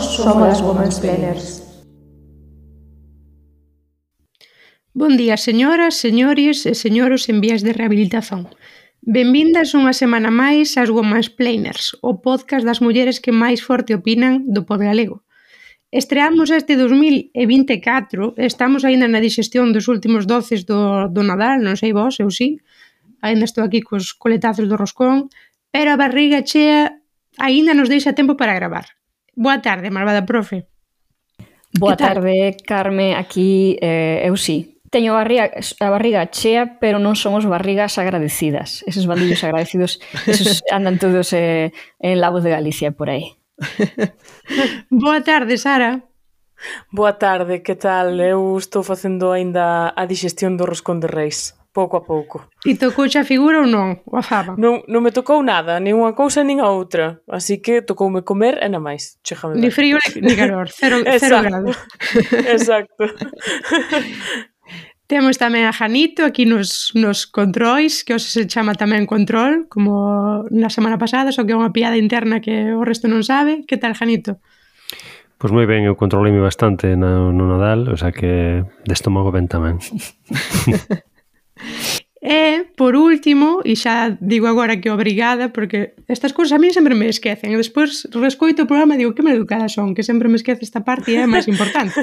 somos as Womansplainers. Bon día, señoras, señores e señoros en vías de rehabilitación. Benvindas unha semana máis ás Womansplainers, o podcast das mulleres que máis forte opinan do pop galego. Estreamos este 2024, estamos aínda na digestión dos últimos doces do Nadal, non sei vos, eu sí. Aínda estou aquí cos coletazos do roscón, pero a barriga chea aínda nos deixa tempo para gravar. Boa tarde, malvada profe. Boa tarde, Carme, aquí eu sí. Teño a barriga chea, pero non somos barrigas agradecidas. Eses bandillos agradecidos, esos andan todos en Lavos de Galicia por aí. Boa tarde, Sara. Boa tarde, que tal? Eu estou facendo aínda a digestión do roscón de Reis, pouco a pouco. E tocouche a figura ou non? Ou a fava? Non me tocou nada, nin unha cousa nin a outra, así que tocoume comer e na máis. Ni frío ni calor, cero grados. Exacto. Temos tamén a Janito aquí nos controis, que hoxe se chama tamén control, como na semana pasada, só que é unha piada interna que o resto non sabe. Que tal, Janito? Pois moi ben, eu controlei bastante no Nadal, o sea que de estómago ben tamén. E, por último, e xa digo agora que obrigada, porque estas cousas a mí sempre me esquecen, e despois rescoito o programa e digo que maleducada son, que sempre me esquece esta parte e é máis importante.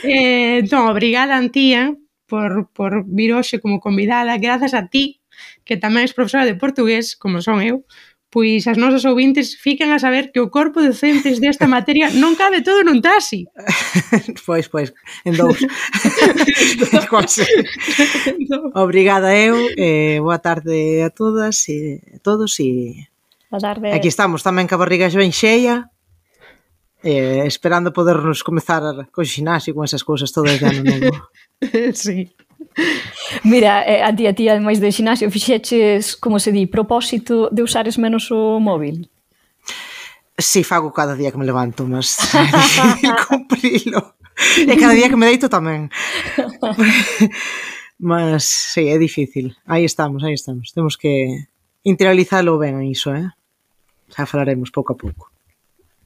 Entón, obrigada, Antía, por vir hoxe como convidada, grazas a ti, que tamén és profesora de portugués, como son eu, pois as nosas ouvintes fican a saber que o corpo docentes desta materia non cabe todo nun taxi. Pois, en dous. Obrigada eu, boa tarde a todas e a todos e boa tarde. Aquí estamos tamén ca barriga ben xeia, esperando podernos comezar co xinasio con esas cousas todas de ano novo. Sí. Mira, a ti, ademais do xinasio, fixeches, como se di, propósito de usares menos o móvil? Si, fago cada día que me levanto, mas é difícil cumprilo. E cada día que me deito tamén. Mas, si, é difícil. Aí estamos. Temos que interiorizalo ben iso, Xa falaremos pouco a pouco.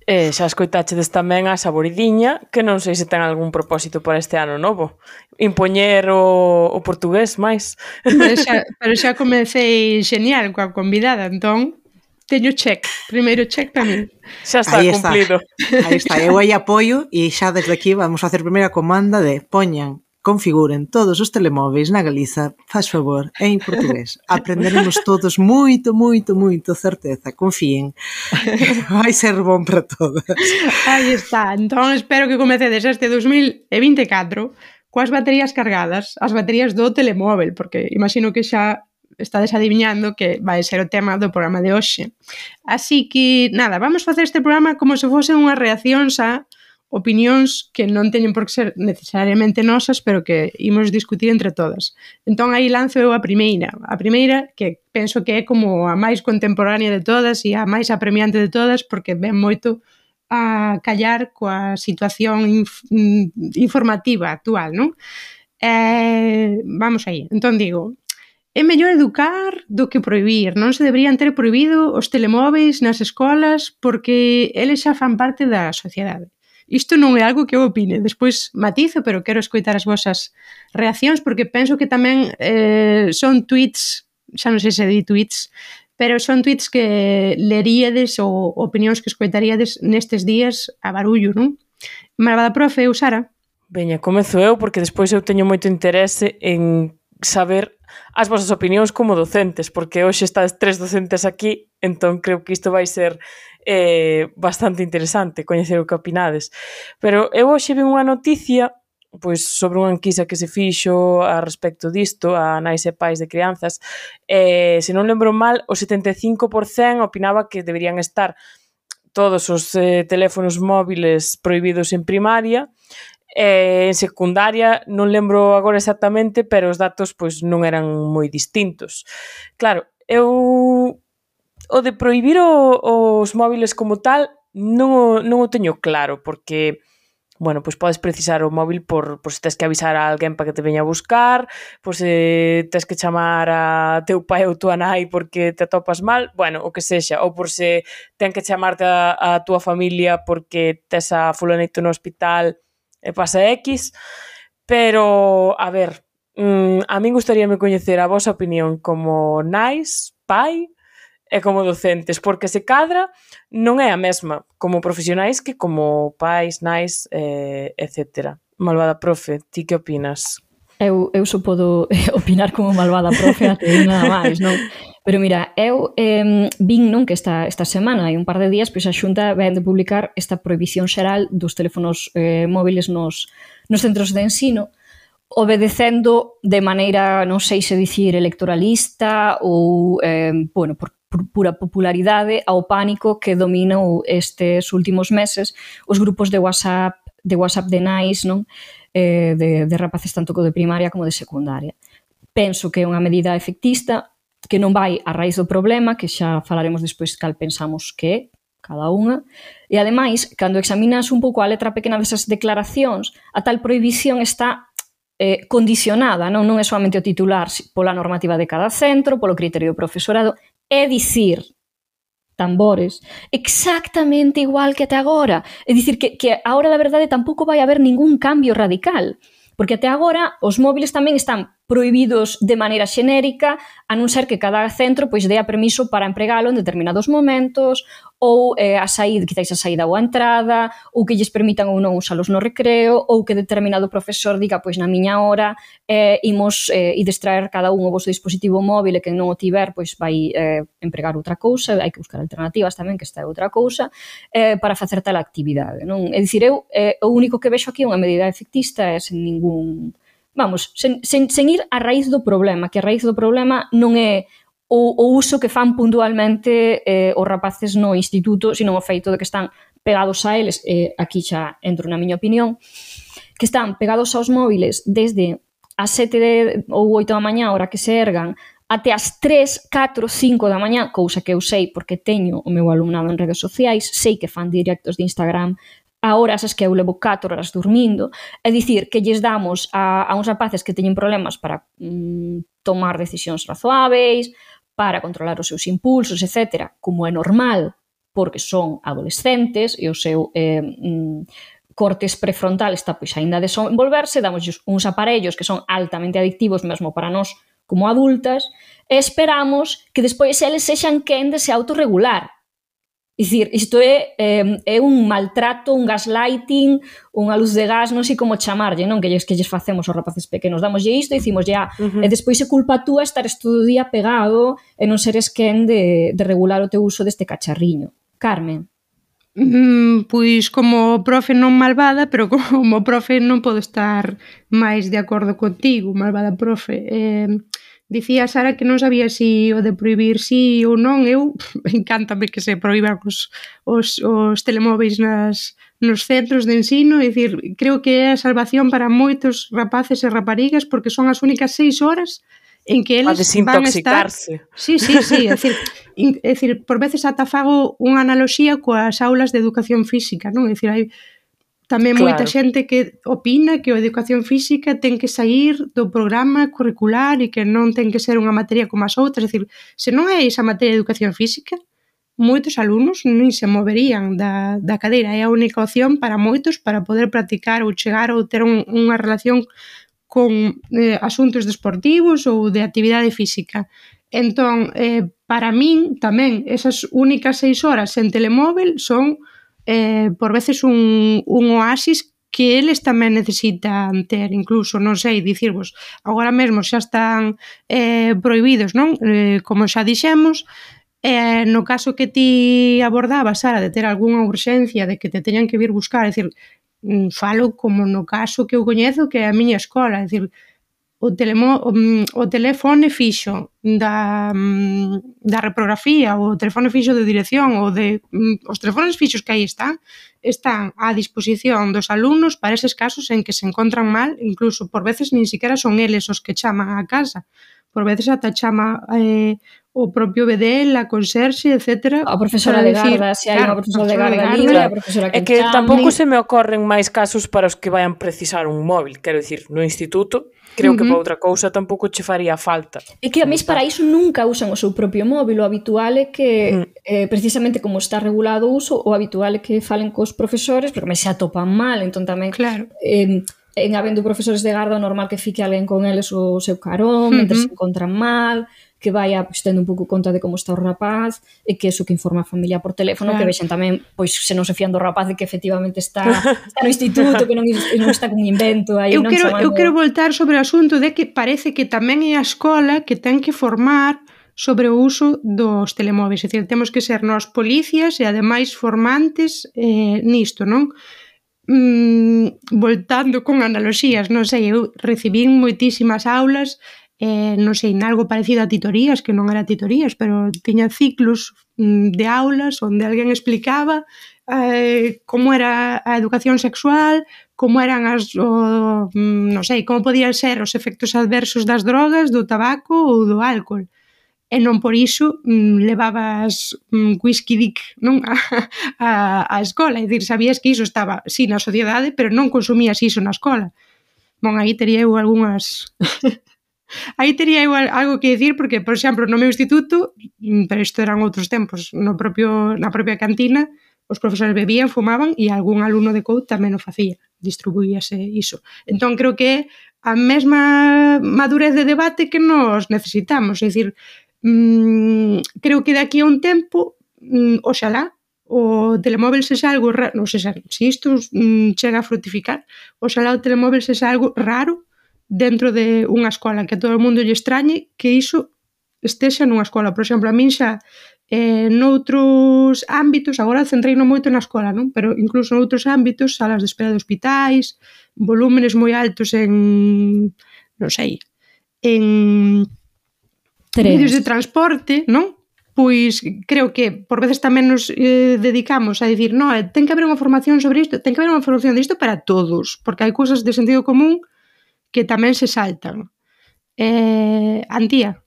Xa escoitachedes tamén a Saboridiña, que non sei se ten algún propósito para este ano novo. Impoñer o portugués máis. Pero xa comecei genial coa convidada, entón teño check, primeiro check para mí. Xa está cumplido. Aí está, eu aí apoio e xa desde aquí vamos a facer primeira comanda de configuren todos os telemóveis na Galiza, faz favor, en portugués. Aprenderemos todos moito, certeza, confíen. Vai ser bon para todas. Aí está, entón espero que comecedes este 2024 coas baterías cargadas, as baterías do telemóvel, porque imagino que xa estades adivinhando que vai ser o tema do programa de hoxe. Así que, nada, vamos facer este programa como se fose unha reacción a opinións que non teñen por que ser necesariamente nosas, pero que imos discutir entre todas. Entón, aí lanzo eu a primeira. A primeira, que penso que é como a máis contemporánea de todas e a máis apremiante de todas, porque ven moito a callar coa situación informativa actual, non? Vamos aí. Entón, digo, é mellor educar do que prohibir. Non se deberían ter prohibido os telemóveis nas escolas porque eles xa fan parte da sociedade. Isto non é algo que eu opine, despois matizo, pero quero escoitar as vosas reaccións porque penso que tamén son tweets, xa non sei se di tweets, pero son tweets que leríades ou opinións que escoitaríades nestes días a barullo, non? Malvada profe, eu Sara. Veña, comezo eu porque despois eu teño moito interese en saber as vosas opinións como docentes, porque hoxe estades 3 docentes aquí, entón creo que isto vai ser bastante interesante coñecer o que opinades. Pero eu hoxe vi unha noticia pois sobre unha enquisa que se fixo a respecto disto, a nais e pais de crianzas, se non lembro mal, o 75% opinaba que deberían estar todos os teléfonos móviles prohibidos en primaria, en secundaria non lembro agora exactamente, pero os datos pois non eran moi distintos. Claro, eu o de prohibir os móviles como tal non o teño claro, porque bueno, pois podes precisar o móvil por se tens que avisar a alguén para que te veña a buscar, por se tens que chamar a teu pai ou tua nai porque te atopas mal, bueno, o que sexa, ou por se ten que chamarte a tua familia porque tes a fulanito no hospital e pasa X, pero, a ver, a min gustaríame coñecer a vosa opinión como nais, pai, e como docentes, porque se cadra non é a mesma como profesionais que como pais, nais, etc. Malvada profe, ti que opinas? Eu só podo opinar como malvada profe até nada máis, non? Pero mira, eu vin non que esta semana, hai un par de días, pois a Xunta ven de publicar esta prohibición xeral dos teléfonos móviles nos centros de ensino, obedecendo de maneira, non sei se dicir electoralista ou, bueno, por pura popularidade ao pánico que dominou estes últimos meses os grupos de WhatsApp de nais, non? De rapaces tanto de primaria como de secundaria. Penso que é unha medida efectista que non vai a raíz do problema, que xa falaremos despois cal pensamos que é cada unha, e ademais, cando examinas un pouco a letra pequena desas declaracións, a tal prohibición está condicionada, non é somente o titular pola normativa de cada centro, polo criterio do profesorado, é dicir, tambores, exactamente igual que até agora. É dicir, que a hora da verdade tampouco vai haber ningún cambio radical, porque até agora os móviles tamén están prohibidos de maneira xenérica, a non ser que cada centro pois dea permiso para empregalo en determinados momentos, ou quizáis a saída ou a entrada, ou que lles permitan ou non usalos no recreo, ou que determinado profesor diga, pois na miña hora imos distraer cada un o vosso dispositivo móvil e que non o tiver, pois vai empregar outra cousa, hai que buscar alternativas tamén, que esta é outra cousa, para facer tal actividade, non? É dicir, eu o único que vexo aquí é unha medida efectista e sen ningún... Vamos, sen ir a raíz do problema, que a raíz do problema non é o uso que fan puntualmente os rapaces no instituto, sino o feito de que están pegados a eles, aquí xa entro na miña opinión, que están pegados aos móviles desde as 7 ou 8 da mañá, hora que se ergan, até as 3, 4, 5 da mañá, cousa que eu sei porque teño o meu alumnado en redes sociais, sei que fan directos de Instagram a horas as que eu levo 4 horas dormindo, é dicir, que lles damos a uns rapaces que teñen problemas para tomar decisións razoáveis, para controlar os seus impulsos, etc., como é normal, porque son adolescentes e o seu cortes prefrontal está pois aínda a desenvolverse, damos uns aparellos que son altamente adictivos mesmo para nós como adultas, e esperamos que despois eles sexan quen de se autorregular. É dicir, isto é un maltrato, un gaslighting, unha luz de gas, non sei como chamarlle, non? Que lles facemos aos rapaces pequenos. Damoslle isto e dicimoslle, e despois é culpa túa estares todo o día pegado e non seres quen de regular o teu uso deste cacharriño. Carmen? Pois como profe non malvada, pero como profe non podo estar máis de acordo contigo, malvada profe. Dicía Sara que non sabía se o de prohibir sí ou non. Eu, encántame que se prohíban os telemóveis nos centros de ensino. É dicir, creo que é a salvación para moitos rapaces e raparigas, porque son as únicas 6 horas en que eles van a estar... Sí, é dicir, por veces ata fago unha analoxía coas aulas de educación física, non? É dicir, hai tamén moita xente que opina que a educación física ten que sair do programa curricular e que non ten que ser unha materia como as outras. É dicir, se non é esa materia de educación física, moitos alumnos non se moverían da cadeira. É a única opción para moitos para poder practicar ou chegar ou ter unha relación con asuntos deportivos ou de actividade física. Entón, para min tamén esas únicas 6 horas en telemóvel son por veces un oasis que eles tamén necesitan ter. Incluso, non sei, dicirvos, agora mesmo xa están prohibidos, non? Como xa dixemos, no caso que ti abordabas, Sara, de ter algunha urxencia, de que te teñan que vir buscar, é dicir, falo como no caso que eu coñezo, que é a miña escola, é dicir, o teléfono fixo da reprografía, o teléfono fixo de dirección, os teléfonos fixos que aí están á disposición dos alumnos para eses casos en que se encontran mal. Incluso por veces nin siquiera son eles os que chaman á casa, por veces ata chama o propio BDL, a conserxe, etc. A profesora de garda, se hai unha profesora de garda libre, a profesora que é que chame. tampouco se me ocorren máis casos para os que vayan precisar un móvil, quero dicir, no instituto, creo que para outra cousa tampouco che faría falta. É que a mis para iso nunca usan o seu propio móvil, o habitual é que precisamente como está regulado o uso, o habitual é que falen cos profesores, porque me se atopan mal, entón tamén Claro. En habendo profesores de garda, o normal que fique alguén con eles o seu carón, mentre se encontran mal, que vaya pues, tendo un pouco conta de como está o rapaz, e que eso que informa a familia por teléfono, que vexen tamén, pois, se non se fían do rapaz de que efectivamente está no instituto, que non está con un invento aí, eu quero voltar sobre o asunto de que parece que tamén é a escola que ten que formar sobre o uso dos telemóveis, é dicir, temos que ser nós policías e ademais formantes nisto, non? Voltando con analoxías, non sei, eu recibín moitísimas aulas, non sei, nalgo parecido a titorías, que non era titorías, pero tiña ciclos de aulas onde alguén explicaba como era a educación sexual, como eran non sei, como podían ser os efectos adversos das drogas, do tabaco ou do álcool. E non por iso levabas whisky dick, non? a escola, é dicir, sabías que iso estaba, sí, na sociedade, pero non consumías iso na escola. Bon, aí tería eu algunhas... aí tería eu algo que dicir, porque, por exemplo, no meu instituto, pero isto eran outros tempos, na propia cantina, os profesores bebían, fumaban, e algún alumno de COUT tamén o facía, distribuíase iso. Entón, creo que é a mesma madurez de debate que nos necesitamos, é dicir, creo que de aquí a un tempo, oxalá, o telemóvel sexa algo raro, non sei se isto chega a fructificar, oxalá o telemóvel sexa algo raro dentro de unha escola, que a todo o mundo lle extrañe que iso estexa nunha escola. Por exemplo, a min xa noutros ámbitos, agora centreino moito na escola, non? Pero incluso noutros ámbitos, salas de espera de hospitais, volúmenes moi altos en, non sei, en medios de transporte, non? Pois creo que por veces tamén nos dedicamos a dicir, non, ten que haber unha formación sobre isto, ten que haber unha formación disto para todos, porque hai cousas de sentido común que tamén se saltan. Antía?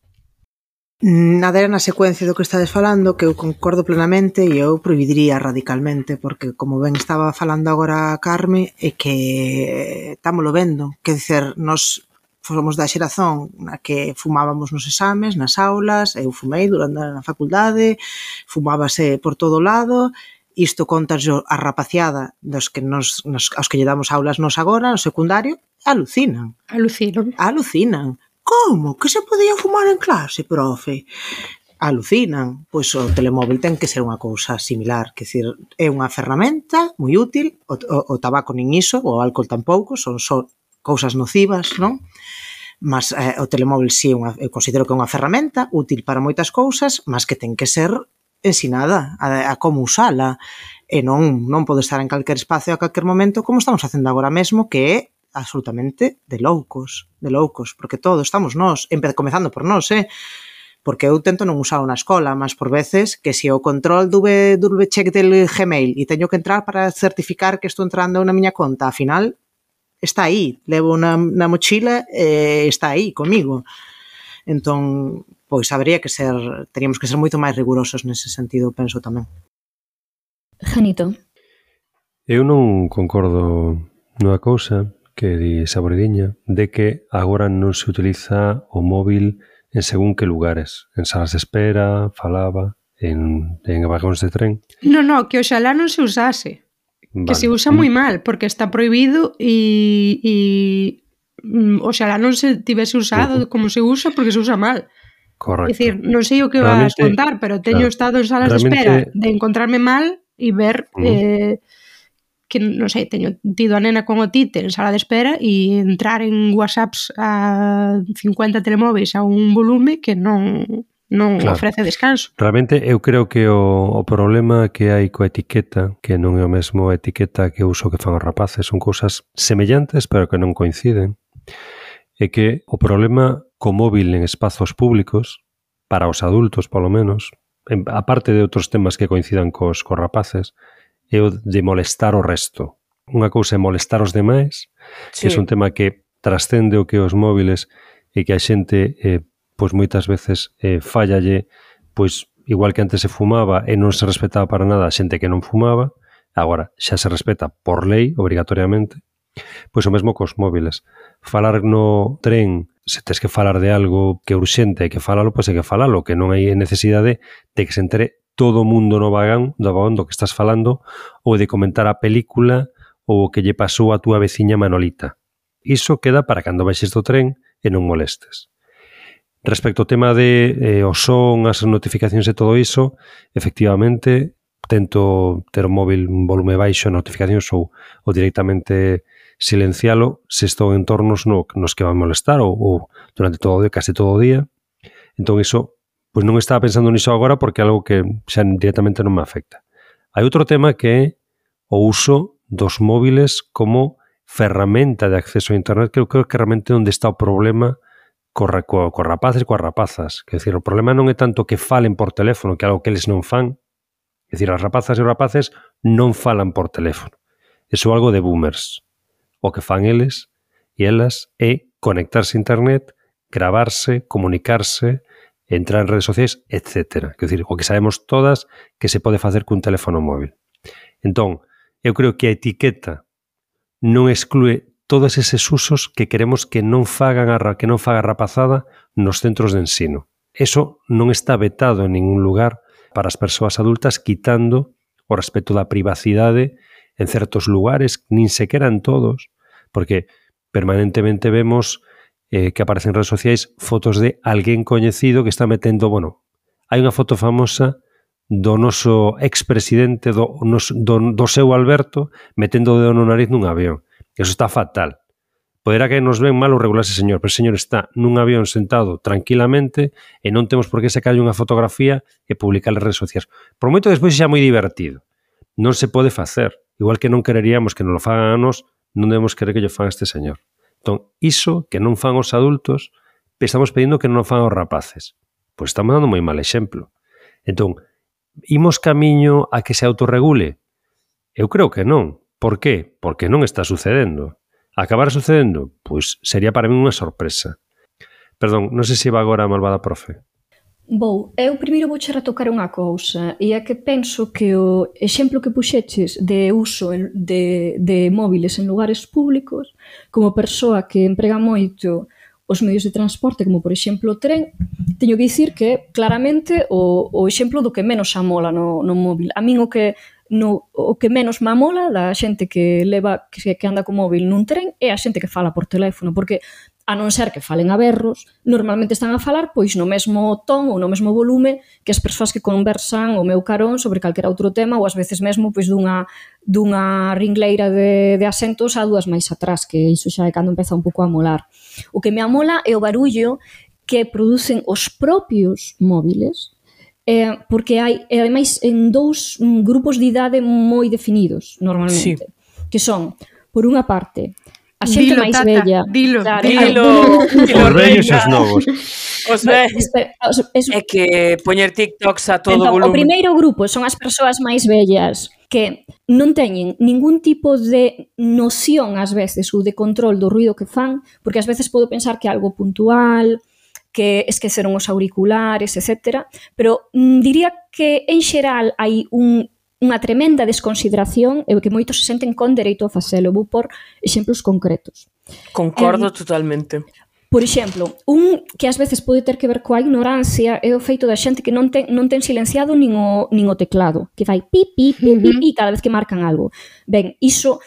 Adera na secuencia do que estades falando, que eu concordo plenamente e eu prohibiría radicalmente, porque como ben estaba falando agora Carme, é que estámoslo vendo, que dicer, nos fomos da xeración na que fumábamos nos exames, nas aulas, eu fumei durante a facultade, fumábase por todo lado, isto contaslo a rapaciada dos que aos que lle damos aulas nos agora, no secundario, alucinan. Alucinan. Como? Que se podía fumar en clase, profe? Alucinan. Pois o telemóvil ten que ser unha cousa similar, que decir, é unha ferramenta moi útil, o tabaco nin iso, o álcool tampouco, son só cousas nocivas, non? Mas o telemóvil si eu considero que é unha ferramenta útil para moitas cousas, mas que ten que ser ensinada a como usala, e non pode estar en calquer espacio a calquer momento como estamos facendo agora mesmo, que é absolutamente de loucos, porque todos estamos nós, comezando por nós, porque eu tento non usar na escola, mas por veces que se o control do check del Gmail e teño que entrar para certificar que estou entrando na miña conta, ao final está aí, levo na mochila e está aí comigo. Entón, pois teríamos que ser moito máis rigurosos nese sentido, penso tamén. Janito. Eu non concordo nunha cousa que di Saboridiña, de que agora non se utiliza o móvil en según que lugares, en salas de espera, falaba, en vagóns de tren. Non, que oxalá non se usase. Vale. Que se usa moi mal, porque está prohibido e oxalá non se tivese usado como se usa, porque se usa mal. Correcto. É dicir, non sei o que vas contar, pero teño estado en salas de espera de encontrarme mal e ver que, non sei, teño tido a nena con otite en sala de espera e entrar en WhatsApps a 50 telemóveis a un volume que non ofrece descanso. Realmente eu creo que o problema que hai coa etiqueta, que non é o mesmo etiqueta que uso que fan os rapaces, son cousas semellantes pero que non coinciden, é que o problema co móvil en espazos públicos, para os adultos polo menos, aparte de outros temas que coincidan cos rapaces, é o de molestar o resto. Unha cousa é molestar os demais, que é un tema que trascende o que os móviles e que a xente pois moitas veces fallalle, pois igual que antes se fumaba e non se respetaba para nada a xente que non fumaba, agora xa se respeta por lei, obrigatoriamente, pois o mesmo cos móviles. Falar no tren, se tes que falar de algo que é urxente, hai que falalo, pois hai que falalo, que non hai necesidade de que se entere todo o mundo no vagón do que estás falando, ou de comentar a película ou o que lle pasou a túa veciña Manolita. Iso queda para cando baixes do tren e non molestes. Respecto ao tema de o son, as notificacións e todo iso, efectivamente, tento ter o móvil en volume baixo, notificacións ou directamente silencialo se estou en entornos nos que van molestar ou durante todo o día, case todo o día. Entón iso, pois non estaba pensando niso agora porque é algo que xa directamente non me afecta. Hai outro tema que é o uso dos móviles como ferramenta de acceso a internet, que eu creo que realmente onde está o problema cos rapaces e coas rapazas. Quer dizer, o problema non é tanto que falen por teléfono, que é algo que eles non fan. Quer dizer, as rapazas e os rapaces non falan por teléfono. Iso é algo de boomers. O que fan eles e elas é conectarse a internet, gravarse, comunicarse, entrar en redes sociais, etc. Quer dizer, o que sabemos todas que se pode facer cun teléfono móvil. Entón, eu creo que a etiqueta non exclúe todos eses usos que queremos que non faga a rapazada nos centros de ensino. Eso non está vetado en ningún lugar para as persoas adultas, quitando o respecto da privacidade en certos lugares, nin sequera en todos, porque permanentemente vemos que aparecen en redes sociais fotos de alguén coñecido que está metendo, hai unha foto famosa do noso expresidente, do seu Alberto, metendo o dedo no nariz nun avión. Eso está fatal. Poderá que nos ven mal ou regular ese señor, pero ese señor está nun avión sentado tranquilamente e non temos por que sacarlle unha fotografía e publicar nas redes sociais. Por moito despois xa moi divertido. Non se pode facer. Igual que non quereríamos que nos lo fagan a nos, non debemos querer que yo fan a este señor. Entón, iso que non fan os adultos, estamos pedindo que non fan os rapaces. Pois estamos dando moi mal exemplo. Entón, imos camiño a que se autorregule? Eu creo que non. Por qué? Porque non está sucedendo. Acabará sucedendo? Pois sería para mí unha sorpresa. Perdón, non sei se va agora a malvada profe. Eu primeiro vouche retocar unha cousa, e é que penso que o exemplo que puxeches de uso de móviles en lugares públicos, como persoa que emprega moito os medios de transporte, como por exemplo o tren, teño que dicir que claramente o exemplo do que menos amola no móvil. A min o que menos me amola da xente que anda co móvil nun tren é a xente que fala por teléfono, porque a non ser que falen a berros, normalmente están a falar pois no mesmo ton ou no mesmo volume que as persoas que conversan o meu carón sobre calquera outro tema, ou ás veces mesmo pois dunha ringleira de asentos a dúas máis atrás, que iso xa é cando empeza un pouco a molar. O que me amola é o barullo que producen os propios móviles, porque hai, ademais, en dous grupos de idade moi definidos, normalmente, que son, por unha parte, a xente máis bella. Dilo. Os vellos e os novos. Os vellos. É que poñer TikToks a todo volumen. O primeiro grupo son as persoas máis bellas que non teñen ningún tipo de noción, ás veces, ou de control do ruido que fan, porque ás veces podo pensar que é algo puntual, que esqueceron os auriculares, etc. Pero diría que, en xeral, hai unha tremenda desconsideración e que moitos se senten con dereito a facelo. Vou por exemplos concretos. Concordo totalmente. Por exemplo, un que ás veces pode ter que ver coa ignorancia é o feito da xente que non ten silenciado nin o teclado, que fai pi, pi, pi, pi, pi cada vez que marcan algo. Ben, iso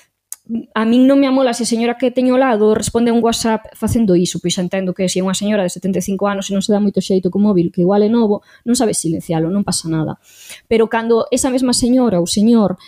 a min non me amola se a señora que teño ao lado responde a un WhatsApp facendo iso, pois entendo que se é unha señora de 75 anos e non se dá moito xeito co móvil, que igual é novo, non sabe silencialo, non pasa nada. Pero cando esa mesma señora ou señor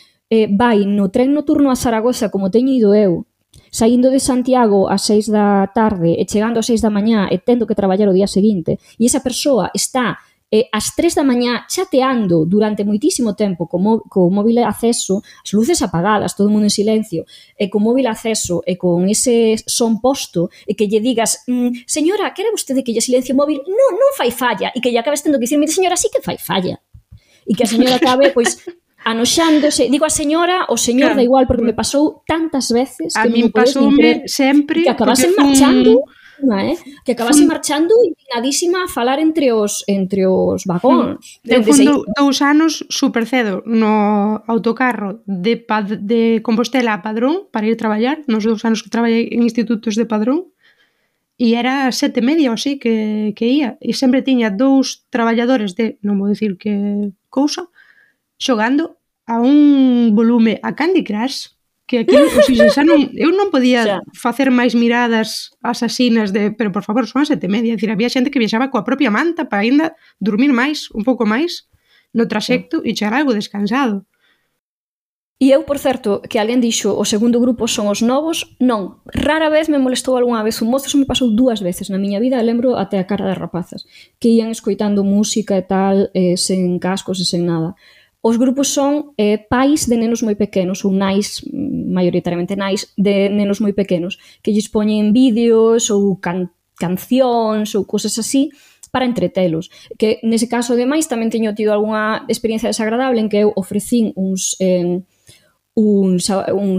vai no tren noturno a Zaragoza, como teño ido eu, saindo de Santiago ás 6 da tarde e chegando ás 6 da mañá e tendo que traballar o día seguinte, e esa persoa está ás 3 da mañá chateando durante moitísimo tempo co móvil acceso, as luces apagadas, todo o mundo en silencio, e co móvil acceso e con ese son posto, e que lle digas, señora, quere vostede que lle silencie o móvil? Non fai falla, e que lle acabes tendo que dicir, mire, señora, sí que fai falla. E que a señora acabe, pois, anoxándose, digo a señora, o señor da igual, porque me pasou tantas veces que a min pasoume sempre que acabasen marchando que acabase marchando indignadísima a falar entre os vagóns. Eu fui 2 anos super cedo no autocarro de Compostela a Padrón para ir traballar, nos 2 anos que traballei en institutos de Padrón, e era 7:30 ou así que ia, e sempre tiña 2 traballadores de, non vou dicir que cousa, xogando a un volume a Candy Crush, que aquí, eu non podía facer máis miradas asasinas pero por favor, son as 7:30, dicir, había xente que viaxaba coa propia manta para ainda dormir máis, un pouco máis no traxecto e chegar algo descansado. E eu, por certo, que alguén dixo o segundo grupo son os novos, non, rara vez me molestou algunha vez un mozo, me pasou 2 veces na miña vida, lembro até a cara das rapazas, que ian escoitando música e tal, sen cascos e sen nada. Os grupos son pais de nenos moi pequenos, ou nais, maioritariamente nais, de nenos moi pequenos, que lles poñen vídeos ou cancións ou cosas así para entretelos. Que nese caso, ademais, tamén teño tido algunha experiencia desagradable en que eu ofrecín uns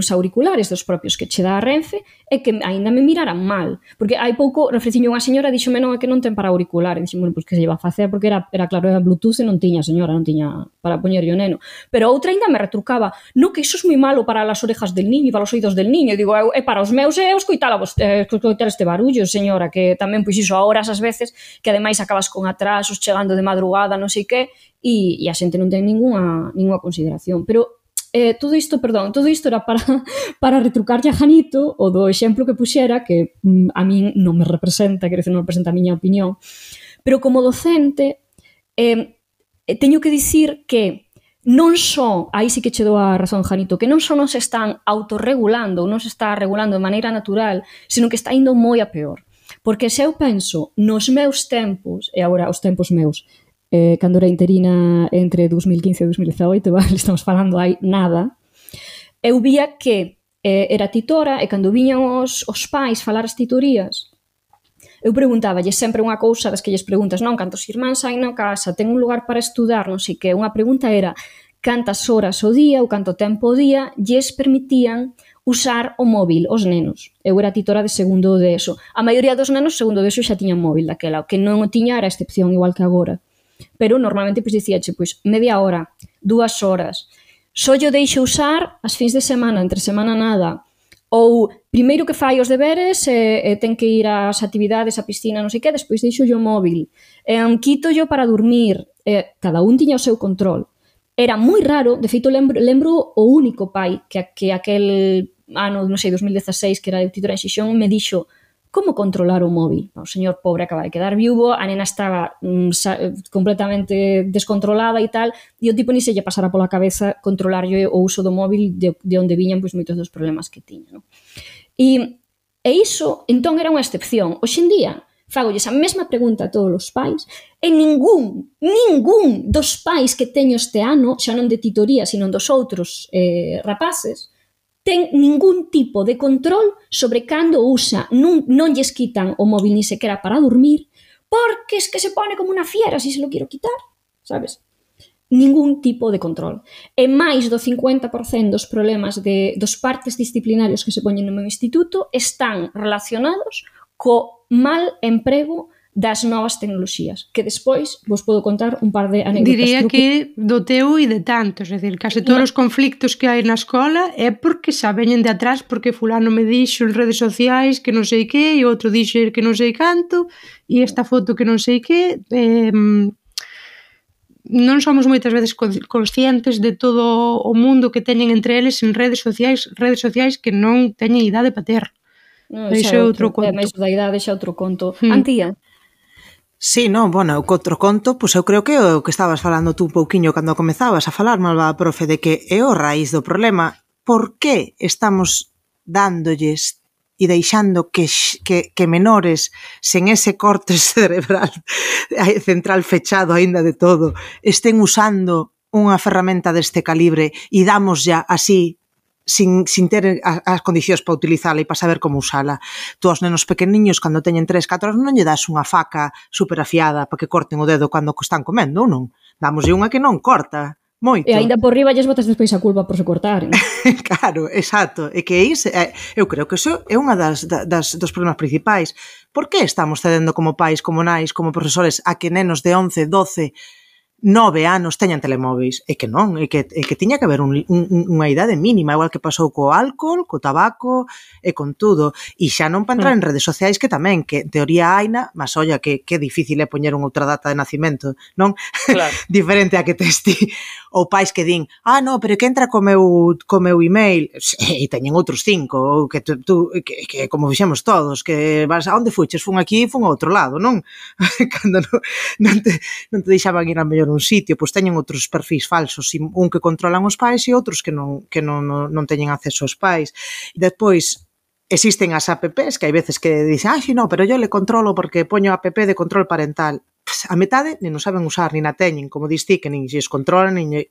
auriculares dos propios que che dá a Renfe e que aínda me miraran mal, porque hai pouco ofreciño unha señora, dixome non, é que non ten para auricular, e dixo, bueno, pois que se lleva a facer, porque era claro, era Bluetooth e non tiña, señora, non tiña para poñerlle o neno, pero outra aínda me retrucaba, no, que iso é moi malo para as orejas del niño e para os oídos del niño, e digo, é para os meus é escoitar este barullo, señora, que tamén, pois iso, a horas as veces, que ademais acabas con atrasos, chegando de madrugada, non sei que, e a xente non ten ninguna consideración, pero todo isto era para retrucarlle a Janito o do exemplo que puxera, que a min non me representa, quero dizer, non representa a miña opinión, pero como docente teño que dicir que non só, aí sí que che dou a razón, Janito, que non só non se están autorregulando ou non se está regulando de maneira natural, sino que está indo moi a peor. Porque se eu penso nos meus tempos, e agora os tempos meus, cando era interina entre 2015 e 2018, vale, estamos falando hai nada, eu vía que era titora e cando viñan os pais falar as titorías, eu preguntáballe sempre unha cousa das que lles preguntas, non, cantos irmáns hai na casa, ten un lugar para estudar, non sei que, unha pregunta era cantas horas ao día ou canto tempo ao día lles permitían usar o móvil os nenos. Eu era titora de segundo de ESO. A maioría dos nenos segundo de ESO xa tiñan móvil daquela, o que non o tiña era a excepción, igual que agora. Pero normalmente pois dicíache, pois media hora, 2 horas. Só yo deixo usar as fins de semana, entre semana nada. Ou primeiro que fai os deberes ten que ir ás actividades, á piscina, non sei que, despois deixo yo o móvil. Quito yo para dormir. Cada un tiña o seu control. Era moi raro, de feito lembro o único pai que aquel ano, non sei, 2016, que era de titora en Xixón, me dixo como controlar o móvil. O señor pobre acaba de quedar viúvo, a nena estaba completamente descontrolada e tal, e o tipo ni se lle pasara pola cabeza controlarlle o uso do móvil de onde viñan pois moitos dos problemas que tiña. No? E iso, entón, era unha excepción. Hoxe en día, fagolles a mesma pregunta a todos os pais, e ningún dos pais que teño este ano, xa non de titoría, sino dos outros rapaces, ten ningún tipo de control sobre cando usa, non lles quitan o móvil ni sequera para dormir, porque es que se pone como unha fiera si se lo quiero quitar, sabes? Ningún tipo de control. E máis do 50% dos problemas dos partes disciplinarios que se poñen no meu instituto están relacionados co mal emprego das novas tecnoloxías, que despois vos podo contar un par de anécdotas. Diría que do teu e de tantos, é dicir, case todos os conflictos que hai na escola é porque xa veñen de atrás, porque fulano me dixo en redes sociais que non sei que, e outro dixo que non sei canto, e esta foto que non sei que, non somos moitas veces conscientes de todo o mundo que teñen entre eles en redes sociais que non teñen idade para ter. Iso é outro conto. Máis da idade xa outro conto. Antía? Sí, non, bueno, o outro conto, pois eu creo que o que estabas falando tú un pouquiño cando comezabas a falar, malvada profe, de que é o raíz do problema. Por que estamos dándolles e deixando que menores sen ese corte cerebral central fechado aínda de todo estén usando unha ferramenta deste calibre e damos ya así sin ter as condicións para utilizala e para saber como usala. Tú aos nenos pequeniños, cando teñen 3-4 anos, non lle das unha faca super afiada para que corten o dedo cando están comendo, ou non? Dámoslle unha que non corta, Moito. E aínda por riba lles botas despois a culpa por se cortaren. Claro, exacto. E que eu creo que iso é unha dos problemas principais. Por que estamos cedendo como pais, como nais, como profesores a que nenos de 11, 12, 9 anos teñan telemóveis? É que non, é que tiña que haber unha idade mínima, igual que pasou co álcool, co tabaco e con tudo. E xa non para entrar en redes sociais, que tamén, que en teoría haina, mas olla que difícil é poñer unha outra data de nacimento, non? Claro. Diferente a que tes ti. Ou pais que din, no, pero que entra co meu email, e teñen outros 5, ou que que como fixemos todos, que vas, a onde fuches? Fun aquí, fun ao outro lado, non? Cando non te deixaban ir a mellor un sitio, pois teñen outros perfis falsos, un que controlan os pais e outros que non teñen acceso aos pais. E despois, existen as apps que hai veces que dicen, si no, pero yo le controlo porque poño app de control parental. A metade nin o saben usar, nin a teñen, como dis ti, que nin se os controlan, e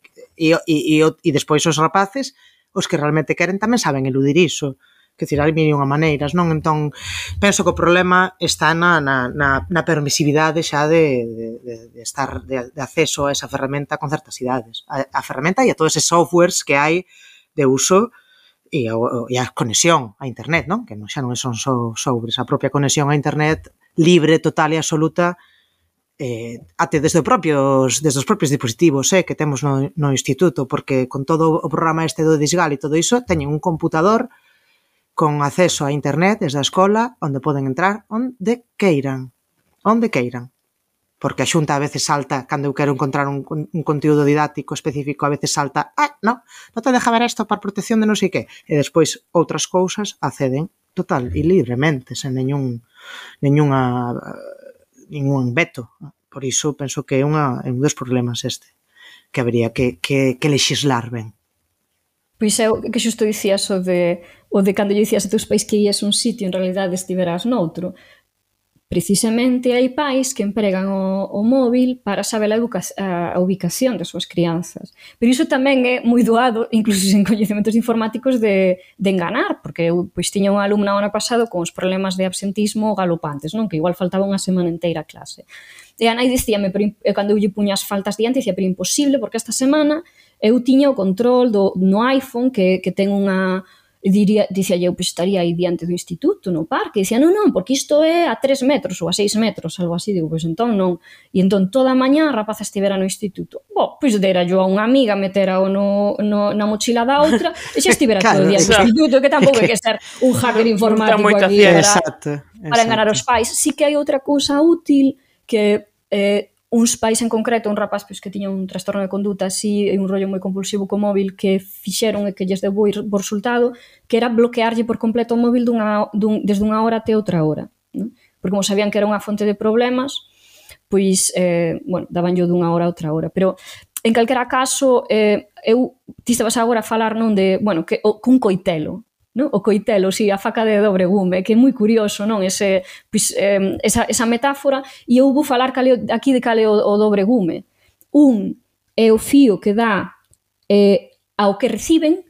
despois os rapaces, os que realmente queren, tamén saben eludir iso. Que dicir, hai mil unha maneiras, non? Entón, penso que o problema está na permisividade xa de acceso a esa ferramenta con certas idades. A ferramenta e a todos esos softwares que hai de uso e a conexión a internet, non? Que xa non son só softwares, a propia conexión a internet libre, total e absoluta, até desde os propios dispositivos que temos no instituto, porque con todo o programa este do Disgal e todo iso, teñen un computador con acceso a internet desde a escola, onde poden entrar onde queiran, porque a Xunta a veces salta, cando eu quero encontrar un conteúdo didáctico específico, a veces salta, non te deja ver isto para protección de non sei que, e despois outras cousas acceden total e libremente, sen ningún veto. Por iso penso que é un dos problemas que habería que lexislar ben. Pois é o que xusto dicías o de cando lle dicías a teus pais que ias a un sitio, en realidade estiverás noutro. Precisamente hai pais que empregan o móvil para saber a ubicación das súas crianzas. Pero iso tamén é moi doado, incluso sen coñecementos informáticos, de enganar, porque eu tiña unha alumna o ano pasado con os problemas de absentismo galopantes, non? Que igual faltaba unha semana inteira a clase. E a nai dicíame, cando eu lle puña as faltas diante, dicía, pero imposible, porque esta semana eu tiña o control no iPhone que ten unha... Dicía eu, pois estaría aí diante do instituto, no parque, e dicía, non, porque isto é a 3 metros ou a 6 metros, algo así, digo, pois entón non. E entón toda a mañá a rapaza estivera no instituto. Pois dera yo a unha amiga, metera-o na mochila da outra, e xa estivera todo o día no instituto, que tampouco hai que ser un hacker informático aquí para enganar os pais. Sí que hai outra cousa útil que uns pais en concreto, un rapaz que tiña un trastorno de conduta así e un rollo moi compulsivo co móvil que fixeron e que lles deu bo resultado, que era bloquearlle por completo o móvil desde unha hora até outra hora, non? Porque como sabían que era unha fonte de problemas, pois, dabanllo dunha hora a outra hora. Pero, en calquera caso, ti estabas agora a falar non de, cun coitelo, non? O coitelo, a faca de dobre gume, que é moi curioso, non? Esa metáfora, e eu vou falar aquí de cal é o dobre gume. Un é o fío que dá ao que reciben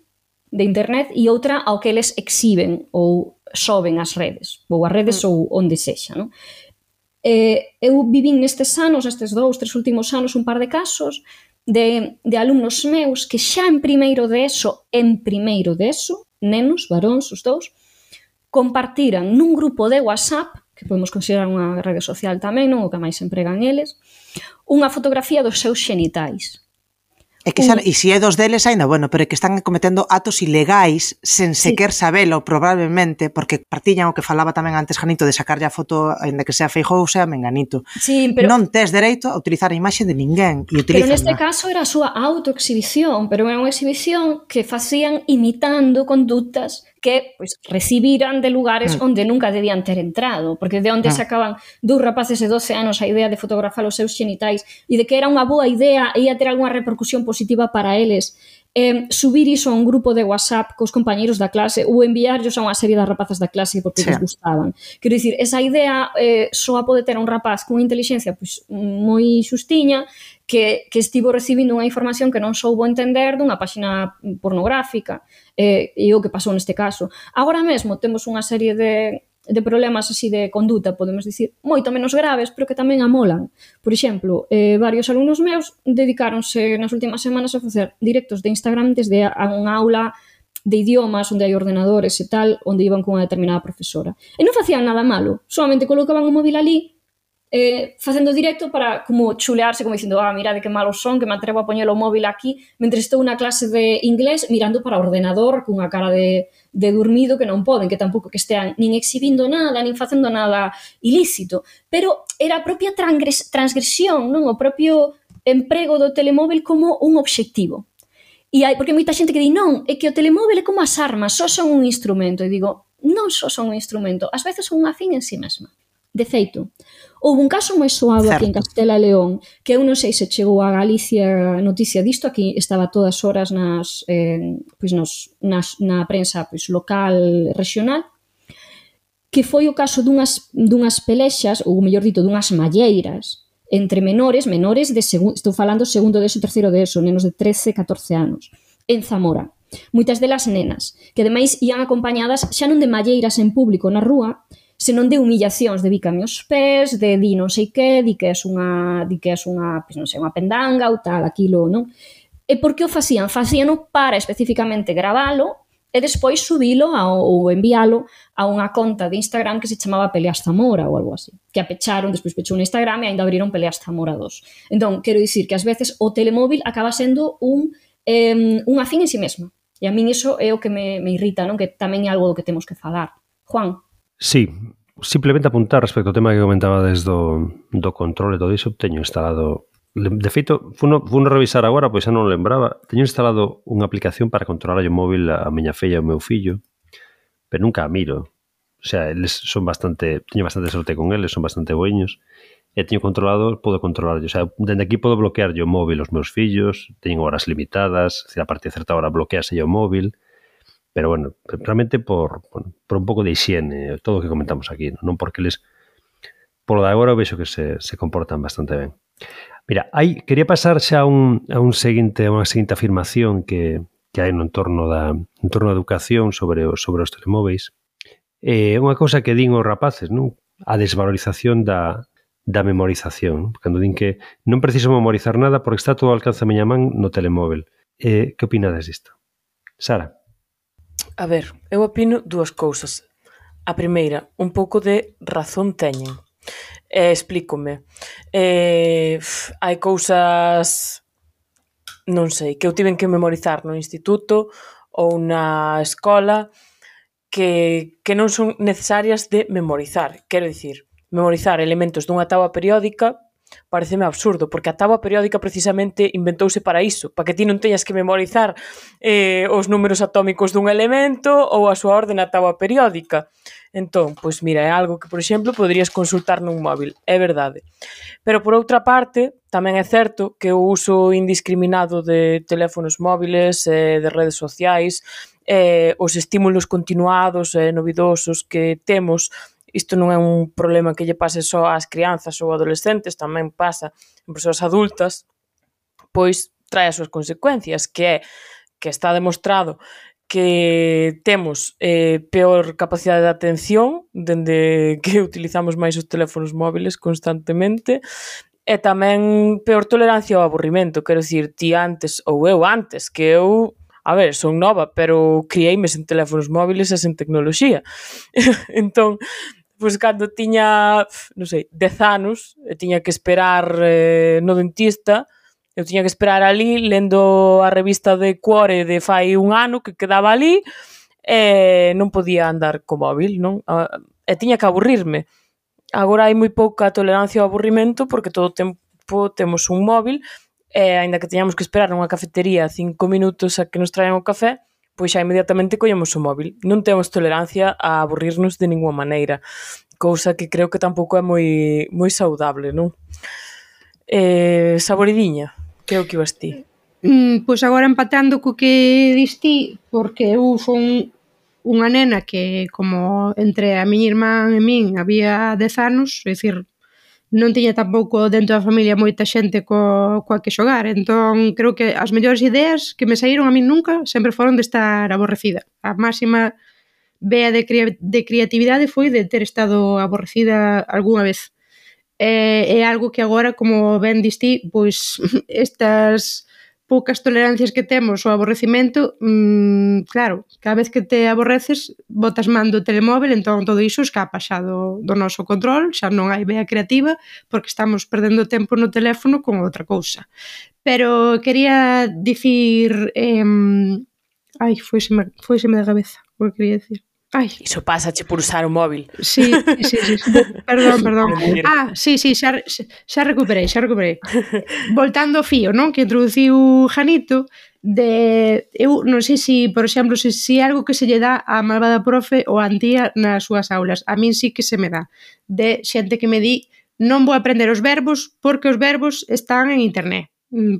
de internet e outra ao que eles exhiben ou soben ás redes, ou as redes ou onde sexa, non? Eu vivín nestes 2, 3 últimos anos, un par de casos de alumnos meus que xa en primeiro de ESO, nenos, varóns, os dous, compartiran nun grupo de WhatsApp, que podemos considerar unha rede social tamén, non? O que máis empregan eles, unha fotografía dos seus xenitais. E se é dos deles, ainda, pero é que están cometendo atos ilegais sen sequer sabelo, probablemente, porque partillan o que falaba tamén antes Janito, de sacarlle a foto, ainda que sea Feijóo ou sea Menganito. Non tes dereito a utilizar a imaxe de ninguén. Pero neste caso era a súa autoexhibición, pero era unha exhibición que facían imitando condutas que recibiran de lugares onde nunca debían ter entrado, porque de onde sacaban dous rapaces de 12 anos a idea de fotografar os seus xenitais e de que era unha boa idea e ia ter algunha repercusión positiva para eles, subir iso a un grupo de WhatsApp cos compañeiros da clase ou enviarlos a unha serie de rapazas da clase porque les gustaban. Quero dicir, esa idea só a pode ter un rapaz con inteligencia moi xustiña que estivo recibindo unha información que non soubo entender dunha páxina pornográfica, e o que pasou neste caso. Agora mesmo temos unha serie de problemas así de conduta, podemos dicir, moito menos graves, pero que tamén amolan. Por exemplo, varios alumnos meus dedicáronse nas últimas semanas a facer directos de Instagram desde unha aula de idiomas onde hai ordenadores e tal, onde iban con unha determinada profesora. E non facían nada malo, solamente colocaban o móvil ali facendo directo para como chulearse, como dicindo, mirade que malos son, que me atrevo a poñer o móvil aquí, mentre estou na clase de inglés mirando para o ordenador cunha cara de dormido que non poden, que tampouco que estean nin exhibindo nada, nin facendo nada ilícito. Pero era a propia transgresión, non? O propio emprego do telemóvil como un obxectivo. E hai, porque hai moita xente que di, non, é que o telemóvil é como as armas, só son un instrumento. E digo, non só son un instrumento, ás veces son unha fin en sí mesma. De feito, houve un caso moi soado aquí en Castela e León, que eu non sei se chegou a Galicia noticia disto, aquí estaba todas horas na prensa local, regional, que foi o caso dunhas pelexas, ou mellor dito, dunhas malleiras, entre menores de estou falando segundo de eso, terceiro de eso, nenos de 13, 14 anos, en Zamora. Moitas delas nenas, que ademais ian acompañadas xa non de malleiras en público na rúa, senón de humillacións, de bícame os pés, de di non sei que, di que és unha, pois non sei, unha pendanga ou tal, aquilo, non? E por que o facían? Facíano para especificamente gravalo e despois subilo ou envialo a unha conta de Instagram que se chamaba Peleas Zamora ou algo así, que a pecharon, despois pechou no Instagram e ainda abriron Peleas Zamora 2. Entón, quero dicir que ás veces o telemóvil acaba sendo unha fin en sí mesma. E a min iso é o que me irrita, non? Que tamén é algo do que temos que falar. Juan? Sí, simplemente apuntar respecto ao tema que comentaba desde do control e todo iso, teño instalado, de feito, funo revisar agora, pois xa non lembraba, teño instalado unha aplicación para controlar o móvil a miña filla e o meu fillo, pero nunca a miro. O sea, eles son teño bastante sorte con eles, son bastante boiños, e teño controlado, podo controlar, o sea, dende aquí podo bloquear o móvil aos meus fillos, teñen horas limitadas, a partir de certa hora bloquease o móvil. Pero bueno, realmente por un pouco de higiene, todo o que comentamos aquí, non porque eles, polo de agora, vexo que se comportan bastante ben. Mira, quería pasar xa a unha seguinte afirmación que hai no entorno da educación sobre os telemóveis. É unha cousa que din os rapaces, non? A desvalorización da memorización. Cando din que non preciso memorizar nada porque está todo ao alcance da miña man no telemóvel. Que opinades disto? Sara? A ver, eu opino dúas cousas. A primeira, un pouco de razón teñen. Explícome. Hai cousas, non sei, que eu tiven que memorizar no instituto ou na escola que non son necesarias de memorizar. Quero dicir, memorizar elementos dunha táboa periódica pareceme absurdo, porque a táboa periódica precisamente inventouse para iso, para que ti non teñas que memorizar os números atómicos dun elemento ou a súa orde na táboa periódica. Entón, pois mira, é algo que, por exemplo, poderías consultar nun móvil, é verdade. Pero, por outra parte, tamén é certo que o uso indiscriminado de teléfonos móviles, de redes sociais, os estímulos continuados e novidosos que temos. Isto non é un problema que lle pase só ás crianzas ou adolescentes, tamén pasa en persoas adultas, pois trae as súas consecuencias, que é que está demostrado que temos peor capacidade de atención dende que utilizamos máis os teléfonos móviles constantemente, e tamén peor tolerancia ao aburrimento. Quero dicir, ti antes, ou eu antes, que eu, a ver, son nova, pero criei-me sen teléfonos móviles e sen tecnoloxía. Entón, pois cando tiña, non sei, 10 anos, e tiña que esperar no dentista, eu tiña que esperar ali lendo a revista de Cuore de fai un ano que quedaba ali e non podía andar co móvil, non? E tiña que aburrirme. Agora hai moi pouca tolerancia ao aburrimento porque todo o tempo temos un móvil e aínda que teñamos que esperar nunha cafetería 5 minutos a que nos traian o café, pois xa inmediatamente collemos o móvil. Non temos tolerancia a aburrirnos de ninguna maneira, cousa que creo que tampouco é moi saudable, non? Saboridiña, que é o que ibas ti? Pois agora empatando co que diste, porque eu son unha nena que, como entre a miña irmán e min había 10 anos, é dicir, non tiña tampouco dentro da familia moita xente coa que xogar, entón creo que as mellores ideas que me saíron a min nunca sempre foron de estar aborrecida. A máxima vea de creatividade foi de ter estado aborrecida algunha vez. É algo que agora, como ben diste, pois estas poucas tolerancias que temos ao aborrecimento, claro, cada vez que te aborreces botas man do telemóvel, entón todo iso escapa xa do noso control, xa non hai vea creativa porque estamos perdendo tempo no teléfono con outra cousa. Pero quería dicir foiseme da cabeza o que quería dicir. Iso pásache por usar o móvil. Sí. Perdón. Sí, xa recuperei. Voltando ao fío, non? Que introduciu Janito, eu non sei se, por exemplo, se é algo que se lle dá a malvada profe ou a Antía nas súas aulas. A min sí que se me dá. De xente que me di, non vou aprender os verbos porque os verbos están en internet.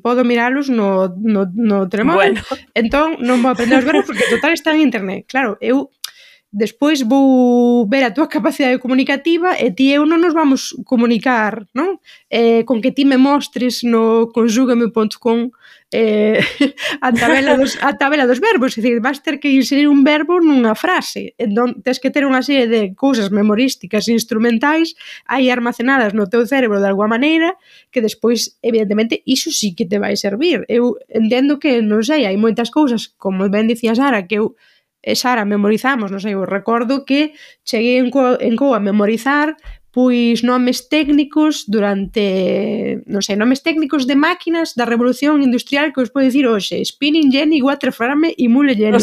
Podo miralos no telemóvel, entón non vou aprender os verbos porque total están en internet. Claro, eu despois vou ver a túa capacidade comunicativa e ti e eu non nos vamos comunicar, non? Con que ti me mostres no consúgame.com a tabela dos verbos, é dicir, vas ter que inserir un verbo nunha frase, entón tens que ter unha serie de cousas memorísticas e instrumentais aí armacenadas no teu cerebro de alguma maneira que despois, evidentemente, iso sí que te vai servir. Eu entendo que, non sei, hai moitas cousas, como ben dicía Sara, que eu Sara memorizamos, non sei, eu recordo que cheguei en Co a memorizar pois nomes técnicos durante, non sei, nomes técnicos de máquinas da revolución industrial que os podo dicir hoxe, Spinning Jenny, Waterframe e Mule Jenny.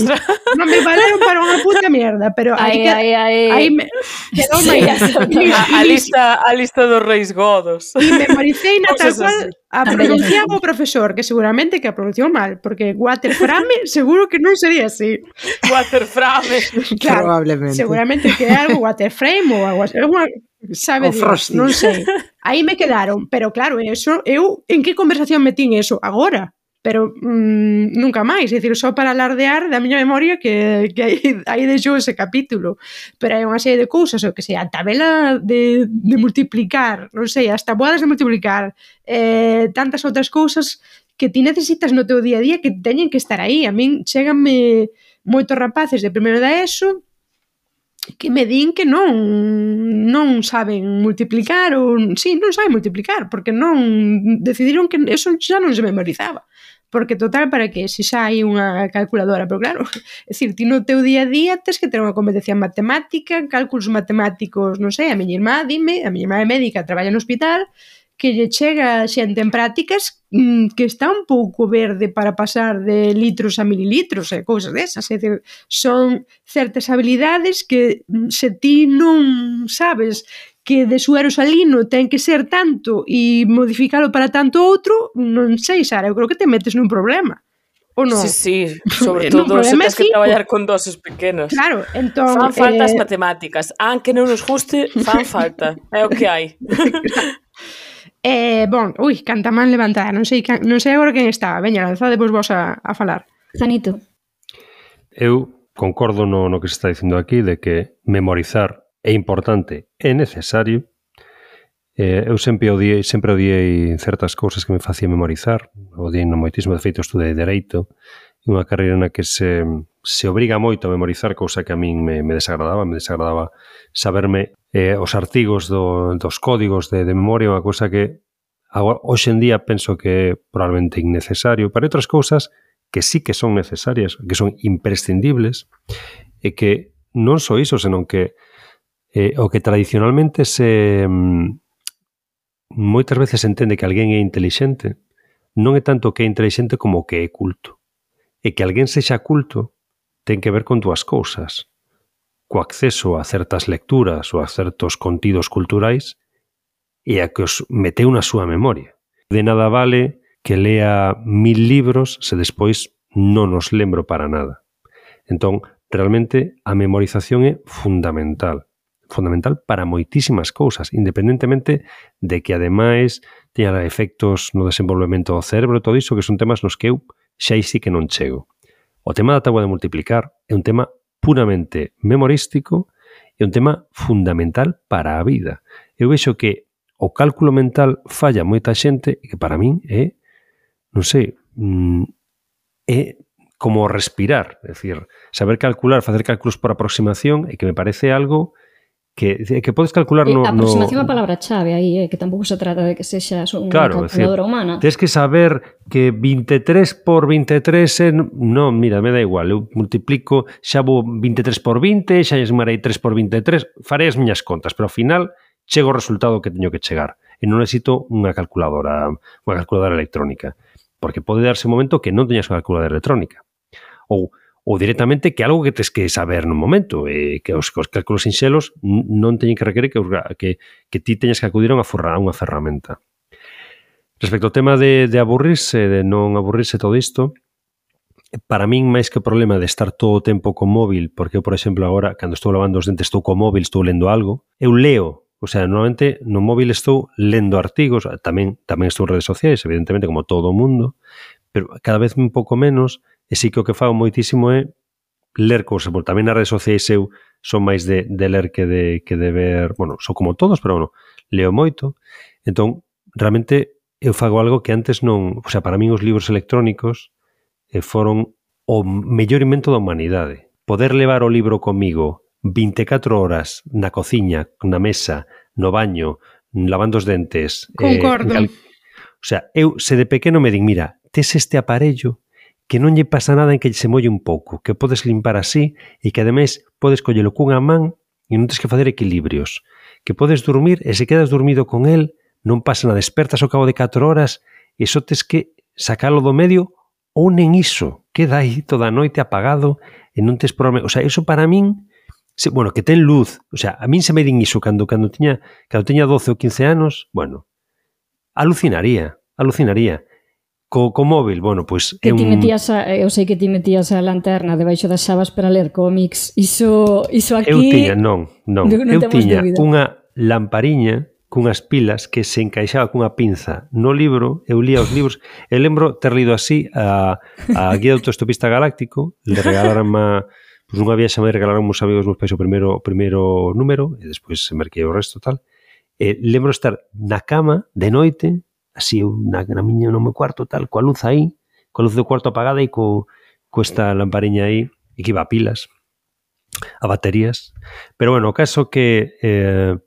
Non me valeron para unha puta mierda, pero aí me quedou máis a lista dos reis godos. E memoricei na tal cual a pronunciaba o profesor, que seguramente que a pronunciou mal, porque Waterframe seguro que non sería así. Waterframe. Claro, probablemente. Seguramente que é algo Waterframe ou algo así. Sabe Dios, non sei. Aí me quedaron, pero claro, eso, eu en que conversación metín eso? Agora. Pero nunca máis, é dicir, só para alardear da miña memoria que aí deixou ese capítulo. Pero hai unha serie de cousas, o que sei, a tabela de multiplicar, non sei, as tabuadas de multiplicar, tantas outras cousas que ti necesitas no teu día a día que teñen que estar aí. A min cheganme moitos rapaces de primeiro da ESO que me din que non saben multiplicar ou sí, non saben multiplicar porque non decidiron que eso xa non se memorizaba porque total, para que se xa hai unha calculadora, pero claro, é dicir, ti no teu día a día tens que ter unha competencia matemática, cálculos matemáticos, non sei, a miña irmá é médica, traballa no hospital, que lle chega xente en prácticas que está un pouco verde para pasar de litros a mililitros e cousas desas, é dicir, son certas habilidades que se ti non sabes que de suero salino ten que ser tanto e modificalo para tanto outro, non sei, Sara, eu creo que te metes nun problema. O non? Sí, sobre todo se tens que traballar con doses pequenas. Claro, entón... Fan falta as matemáticas, aunque non nos guste, fan falta, é o que hai. Canta man levantada, non sei agora quen está. Veña, lanzadevos vos a falar. Zanito. Eu concordo no que se está dicindo aquí de que memorizar é importante, é necesario. Eu sempre odiei certas cousas que me facía memorizar. Odiei no moitísimo, de feito estudei Dereito, unha carreira na que se obriga moito a memorizar, cousa que a min me desagradaba saberme os artigos dos códigos de memoria, unha cousa que hoxe en día penso que é probablemente innecesario. Para outras cousas que sí que son necesarias, que son imprescindibles, e que non só iso, senón que o que tradicionalmente moitas veces se entende que alguén é intelixente, non é tanto que é intelixente como que é culto. E que alguén sexa culto ten que ver con dúas cousas. Co acceso a certas lecturas ou a certos contidos culturais e a que os meteu na súa memoria. De nada vale que lea 1000 libros se despois non os lembro para nada. Entón, realmente, a memorización é fundamental para moitísimas cousas, independentemente de que, ademais, teña efectos no desenvolvemento do cerebro, todo iso que son temas nos que eu xa sí que non chego. O tema da táboa de multiplicar é un tema puramente memorístico e un tema fundamental para a vida. Eu vexo que o cálculo mental falla moita xente e que para min é, non sei, é como respirar, é dicir, saber calcular, facer cálculos por aproximación, e que me parece algo que podes calcular no... Aproximación a palabra chave aí, que tampouco se trata de que sexa unha calculadora humana. Tens que saber que 23 por 23 non, mira, me dá igual, eu multiplico, xa vou 23 por 20, xa esmarei 3 por 23, farei as miñas contas, pero ao final chego ao resultado que teño que chegar. E non necesito unha calculadora electrónica, porque pode darse un momento que non teñas unha calculadora electrónica. Ou directamente que algo que tes que saber nun momento, que os cálculos sinxelos non teñen que requerir que ti teñas que acudir a unha ferramenta. Respecto ao tema de aburrirse, de non aburrirse todo isto, para min, máis que o problema de estar todo o tempo co móvil, porque eu, por exemplo, agora, cando estou lavando os dentes, estou co móvil, estou lendo algo, eu leo, o sea, normalmente no móvil estou lendo artigos, tamén estou en redes sociais, evidentemente, como todo o mundo, pero cada vez un pouco menos. E sí que o que fago moitísimo é ler cousas, porque tamén nas redes sociais eu son máis de ler que de ver, bueno, son como todos, pero bueno, leo moito. Entón, realmente eu fago algo que antes non, o sea, para min os libros electrónicos foron o mellor invento da humanidade. Poder levar o libro comigo 24 horas na cociña, na mesa, no baño, lavando os dentes. Concordo. O sea, eu se de pequeno me din, mira, tes este aparello que non lle pasa nada en que se molle un pouco, que podes limpar así e que ademais podes collelo cunha man e non tens que facer equilibrios, que podes dormir e se quedas dormido con el non pasa nada, despertas ao cabo de 4 horas e só tes que sacalo do medio ou nen iso, queda aí toda a noite apagado e non tes problema. O sea, iso para min, bueno, que ten luz, o sea, a min se me din iso cando tiña 12 ou 15 anos, bueno, alucinaría. Co móvil, bueno, pois que ti metías eu sei que ti metías a lanterna debaixo das xabas para ler cómics. Iso aquí... Eu tiña unha lampariña cunhas pilas que se encaixaba cunha pinza no libro, eu lía os libros, e lembro ter lido así a Guía do Autoestopista Galáctico, le regalaron pois unha viaxe me regalaron uns amigos meus pais o primeiro número, e despois se merquei o resto tal, e lembro estar na cama de noite, así na miña no meu cuarto tal, coa luz aí, coa luz do cuarto apagada e co esta lampariña aí, e que iba a pilas, a baterías. Pero bueno, o caso que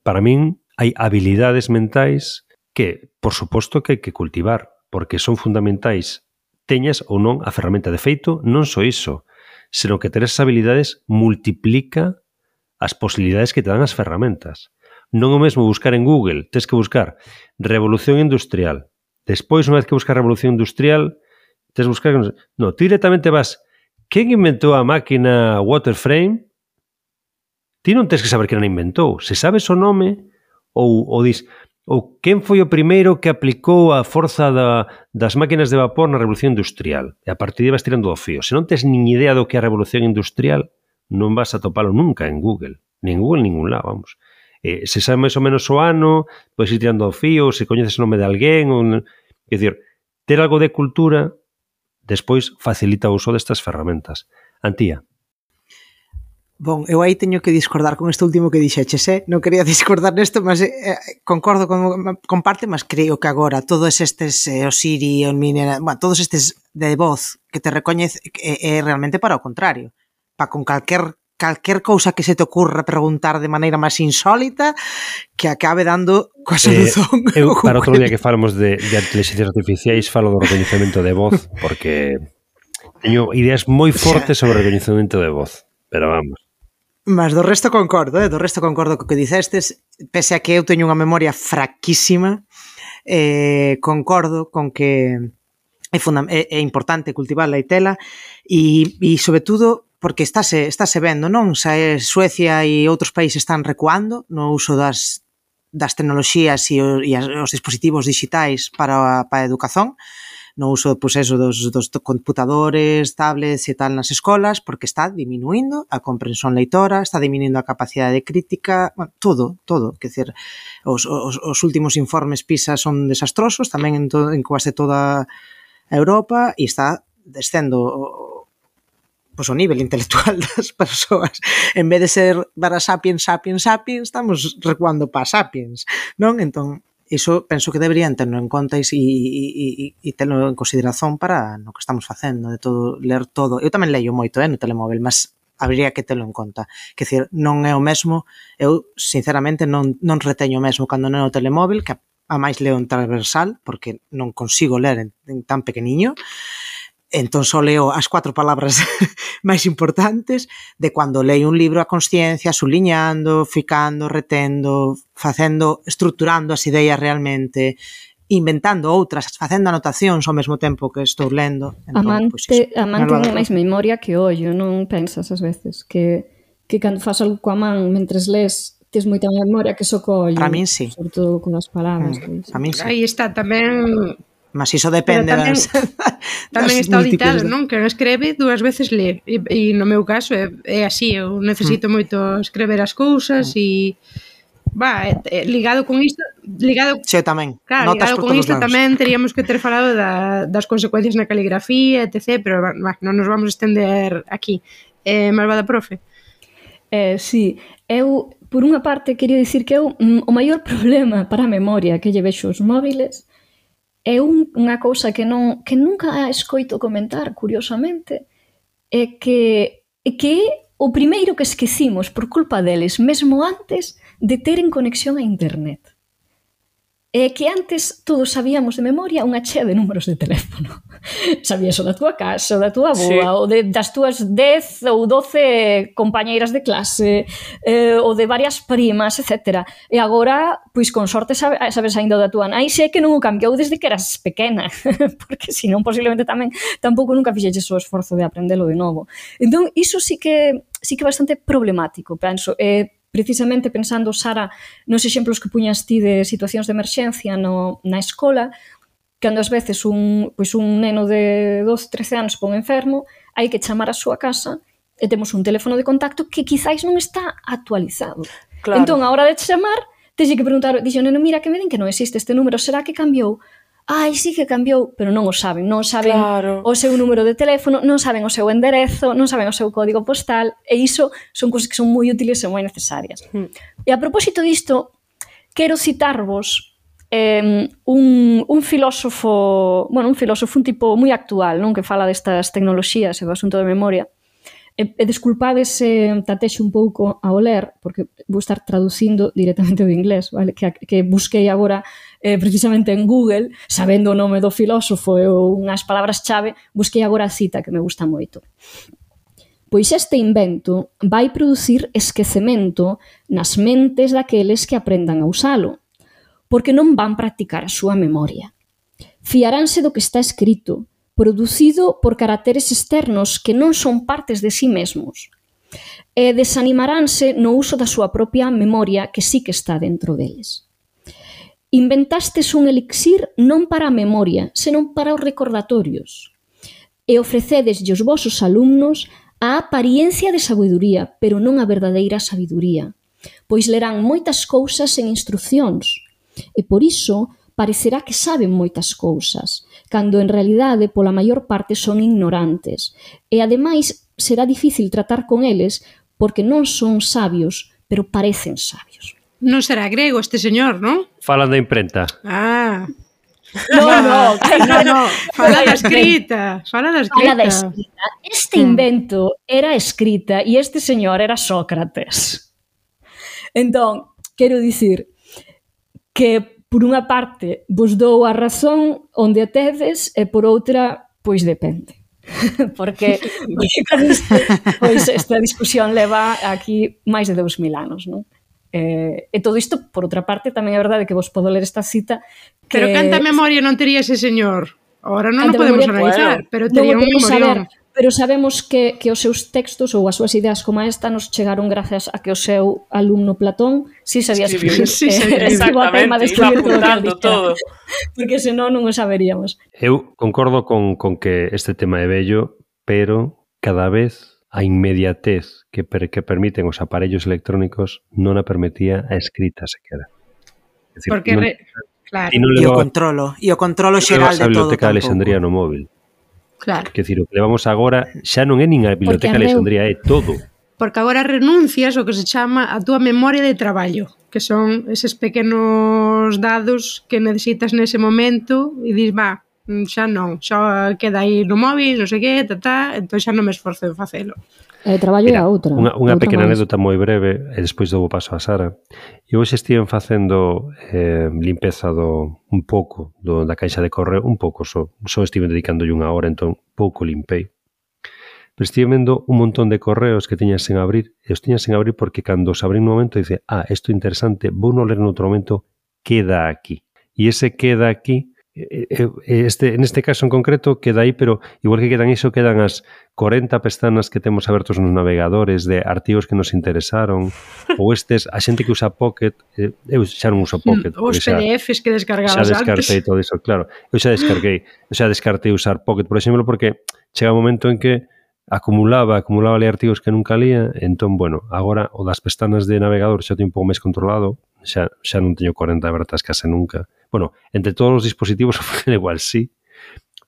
para min hai habilidades mentais que, por suposto, que hai que cultivar, porque son fundamentais, teñas ou non a ferramenta. De feito, non só iso, senón que ter esas habilidades multiplica as posibilidades que te dan as ferramentas. Non o mesmo buscar en Google, tens que buscar revolución industrial. Despois, unha vez que buscas revolución industrial, tens que buscar... No, ti directamente vas... Quen inventou a máquina waterframe? Ti non tens que saber quen a inventou. Se sabes o nome, ou dis... Ou quen foi o primeiro que aplicou a forza das máquinas de vapor na revolución industrial? E a partir de vas tirando do fío. Se non tens nin idea do que é a revolución industrial, non vas a topalo nunca en Google. Ni en Google, ningún lado, vamos. Se sabe máis ou menos o ano, podes ir tirando ao fío, se coñeces o nome de alguén, é dicir, ter algo de cultura despois facilita o uso destas ferramentas. Antía. Bon, eu aí teño que discordar con este último que dixeches, non quería discordar nesto, mas concordo con parte, mas creo que agora todos estes, o Siri, o Mini, bueno, todos estes de voz que te recoñece é realmente para o contrario, para con calquer cousa que se te ocurra preguntar de maneira máis insólita que acabe dando coa solución. Eu, para outro día que falamos de inteligencias artificiais, falo do recoñecemento de voz, porque teño ideas moi fortes sobre o recoñecemento de voz, pero vamos. Mas do resto concordo co que dicestes, pese a que eu teño unha memoria fraquísima, concordo con que é importante cultivarla e tela, e sobre todo porque estáse vendo, non? Suecia e outros países están recuando no uso das tecnoloxías e os dispositivos digitais para a educación, no uso dos computadores, tablets e tal nas escolas, porque está diminuindo a comprensión leitora, está diminuindo a capacidade crítica, bueno, todo. Quer dizer, os últimos informes PISA son desastrosos, tamén en quase toda a Europa, e está descendo pois o nivel intelectual das persoas. En vez de ser para sapiens, estamos recuando para sapiens, non? Entón, Iso penso que deberían terlo en conta e terlo en consideración para no que estamos facendo, de todo, ler todo. Eu tamén leio moito no telemóvel, mas habría que terlo en conta. Quer dizer, non é o mesmo, eu sinceramente non reteño o mesmo cando non é o telemóvel, que a máis leo en transversal, porque non consigo ler en tan pequeniño, entón só leo as 4 palabras máis importantes de cando leio un libro a consciencia, suliñando, ficando, retendo, facendo, estruturando as ideas realmente, inventando outras, facendo anotacións ao mesmo tempo que estou lendo. Entón, a man ten máis memoria que o ollo, non pensas ás veces que cando faz algo coa man mentres lees tes moita memoria que só co ollo. Para min sí. Sobre todo con as palabras. Para min sí. Aí está tamén... Mas iso depende tamén, tamén está auditado, non? Que escreve 2 veces ler. E no meu caso é así, eu necesito moito escrever as cousas e ligado con isto, sí, tamén. Claro, ligado con isto tamén teríamos que ter falado das consecuencias na caligrafía, etc, pero non nos vamos estender aquí. Malvada profe. Sí, eu por unha parte quería dicir que o maior problema para a memoria que lle vexo os móviles é unha cousa que nunca escoito comentar, curiosamente, é que o primeiro que esquecimos por culpa deles, mesmo antes de teren conexión a internet. É que antes todos sabíamos de memoria unha chea de números de teléfono. Sabías o da túa casa, o da túa avoa, o das túas 10 ou 12 compañeiras de clase, o de varias primas, etc. E agora, pois con sorte sabes ainda o da túa nai, sei que non o cambiou desde que eras pequena, porque senón posiblemente tampouco nunca fixeches o esforzo de aprendelo de novo. Entón, iso sí que é bastante problemático, penso. Precisamente pensando, Sara, nos exemplos que puñas ti de situacións de emerxencia na escola, cando ás veces un neno de 12, 13 anos pon enfermo, hai que chamar a súa casa e temos un teléfono de contacto que quizáis non está actualizado. Claro. Entón, a hora de chamar, tens que preguntar, dixo, neno, mira, que me din que non existe este número, será que cambiou? Ai, sí que cambiou, pero non o saben, claro, o seu número de teléfono, non saben o seu enderezo, non saben o seu código postal, e iso son cousas que son moi útiles e moi necesarias. E a propósito disto, quero citarvos un filósofo, un tipo moi actual, non, que fala destas tecnoloxías e do asunto de memoria. E desculpades se tatexo un pouco ao ler, porque vou estar traducindo directamente do inglés, vale? Que busquei agora precisamente en Google, sabendo o nome do filósofo e unhas palabras chave, busquei agora a cita que me gusta moito. Pois este invento vai producir esquecemento nas mentes daqueles que aprendan a usalo, porque non van practicar a súa memoria. Fiaránse do que está escrito, producido por caracteres externos que non son partes de sí mesmos, e desanimaránse no uso da súa propia memoria que sí que está dentro deles. Inventastes un elixir non para a memoria, senón para os recordatorios, e ofrecedeslle aos vosos alumnos a apariencia de sabedoría, pero non a verdadeira sabedoría, pois lerán moitas cousas en instruccións, e por iso parecerá que saben moitas cousas, cando en realidade pola maior parte son ignorantes, e ademais será difícil tratar con eles porque non son sabios, pero parecen sabios. Non será grego este señor, non? Falan da imprenta. Ah. No. Fala da escrita. Este invento era escrita e este señor era Sócrates. Entón, quero dicir que por unha parte vos dou a razón onde a tedes e por outra, pois depende. Porque pois esta discusión leva aquí máis de 2000 anos, non? E todo isto, por outra parte, tamén é verdade que vos podo ler esta cita que... Pero canta memoria non tería ese señor? Ahora non o podemos analizar, pero tería un memorión. Pero sabemos que os seus textos ou as súas ideas como esta nos chegaron grazas a que o seu alumno Platón si sabía escribir. Exactamente, iba apuntando todo. Porque senón non o saberíamos. Eu concordo con que este tema é bello, pero cada vez a inmediatez que permiten os aparellos electrónicos non a permitía a escrita sequera. Decir, porque claro. E o controlo xeral de todo. A biblioteca de Alexandría no móvil. Claro. Quer dicir, o que levamos agora xa non é nin a biblioteca de Alexandría, é todo. porque agora renuncias o que se chama a túa memoria de traballo, que son eses pequenos dados que necesitas nese momento e dis, xa non, xa queda aí no móvil, non sei que, entón xa non me esforzo en facelo. Traballo é a outra. Unha pequena anécdota moi breve, e despois dou o paso a Sara. Eu hoxe estiven facendo limpeza un pouco da caixa de correo, un pouco só estiven dedicándolle unha hora, entón pouco limpei. Pero estive vendo un montón de correos que tiñas sen abrir, e os tiñas sen abrir porque cando os abrí nun momento dice, isto é interesante, vou non ler noutro momento, queda aquí. E ese queda aquí, neste caso en concreto queda aí, pero igual que quedan iso, quedan as 40 pestanas que temos abertos nos navegadores de artigos que nos interesaron, ou a xente que usa Pocket, eu xa non uso Pocket. Os PDFs que descargabas antes. Xa descartei todo iso, claro. Eu xa descartei usar Pocket, por exemplo, porque chega un momento en que acumulaba ali artigos que nunca lía, entón, bueno, agora o das pestanas de navegador xa teño un pouco máis controlado, xa non teño 40 abertas case nunca. Bueno, entre todos os dispositivos igual sí,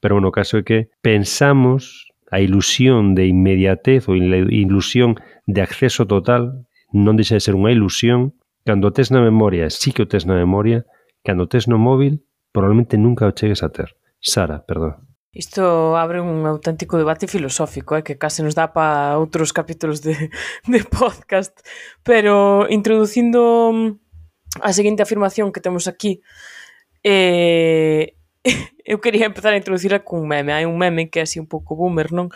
pero bueno, o caso é que pensamos a ilusión de inmediatez ou a ilusión de acceso total non deixa de ser unha ilusión. Cando o tes na memoria, sí que o tes na memoria, cando o tes no móvil, probablemente nunca o chegues a ter. Sara, perdón. Isto abre un auténtico debate filosófico, que case nos dá para outros capítulos de podcast, pero introducindo a seguinte afirmación que temos aquí, eu quería empezar a introducirla cun meme. Hai un meme que é así un pouco boomer, non?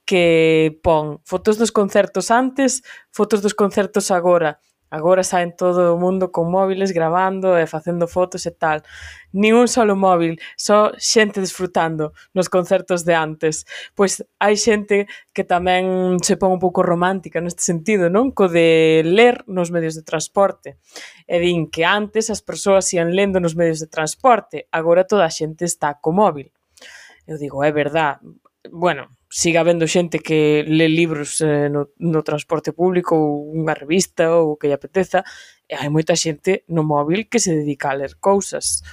Que pon fotos dos concertos antes, fotos dos concertos agora. Agora saen todo o mundo con móviles grabando e facendo fotos e tal. Nin un solo móvil, só xente desfrutando nos concertos de antes. Pois hai xente que tamén se pon un pouco romántica neste sentido, non? Co de ler nos medios de transporte. E din que antes as persoas ian lendo nos medios de transporte, agora toda a xente está co móvil. Eu digo, é verdad. Bueno, siga habendo xente que lê libros no transporte público ou unha revista ou o que lle apeteza, e hai moita xente no móvil que se dedica a ler cousas.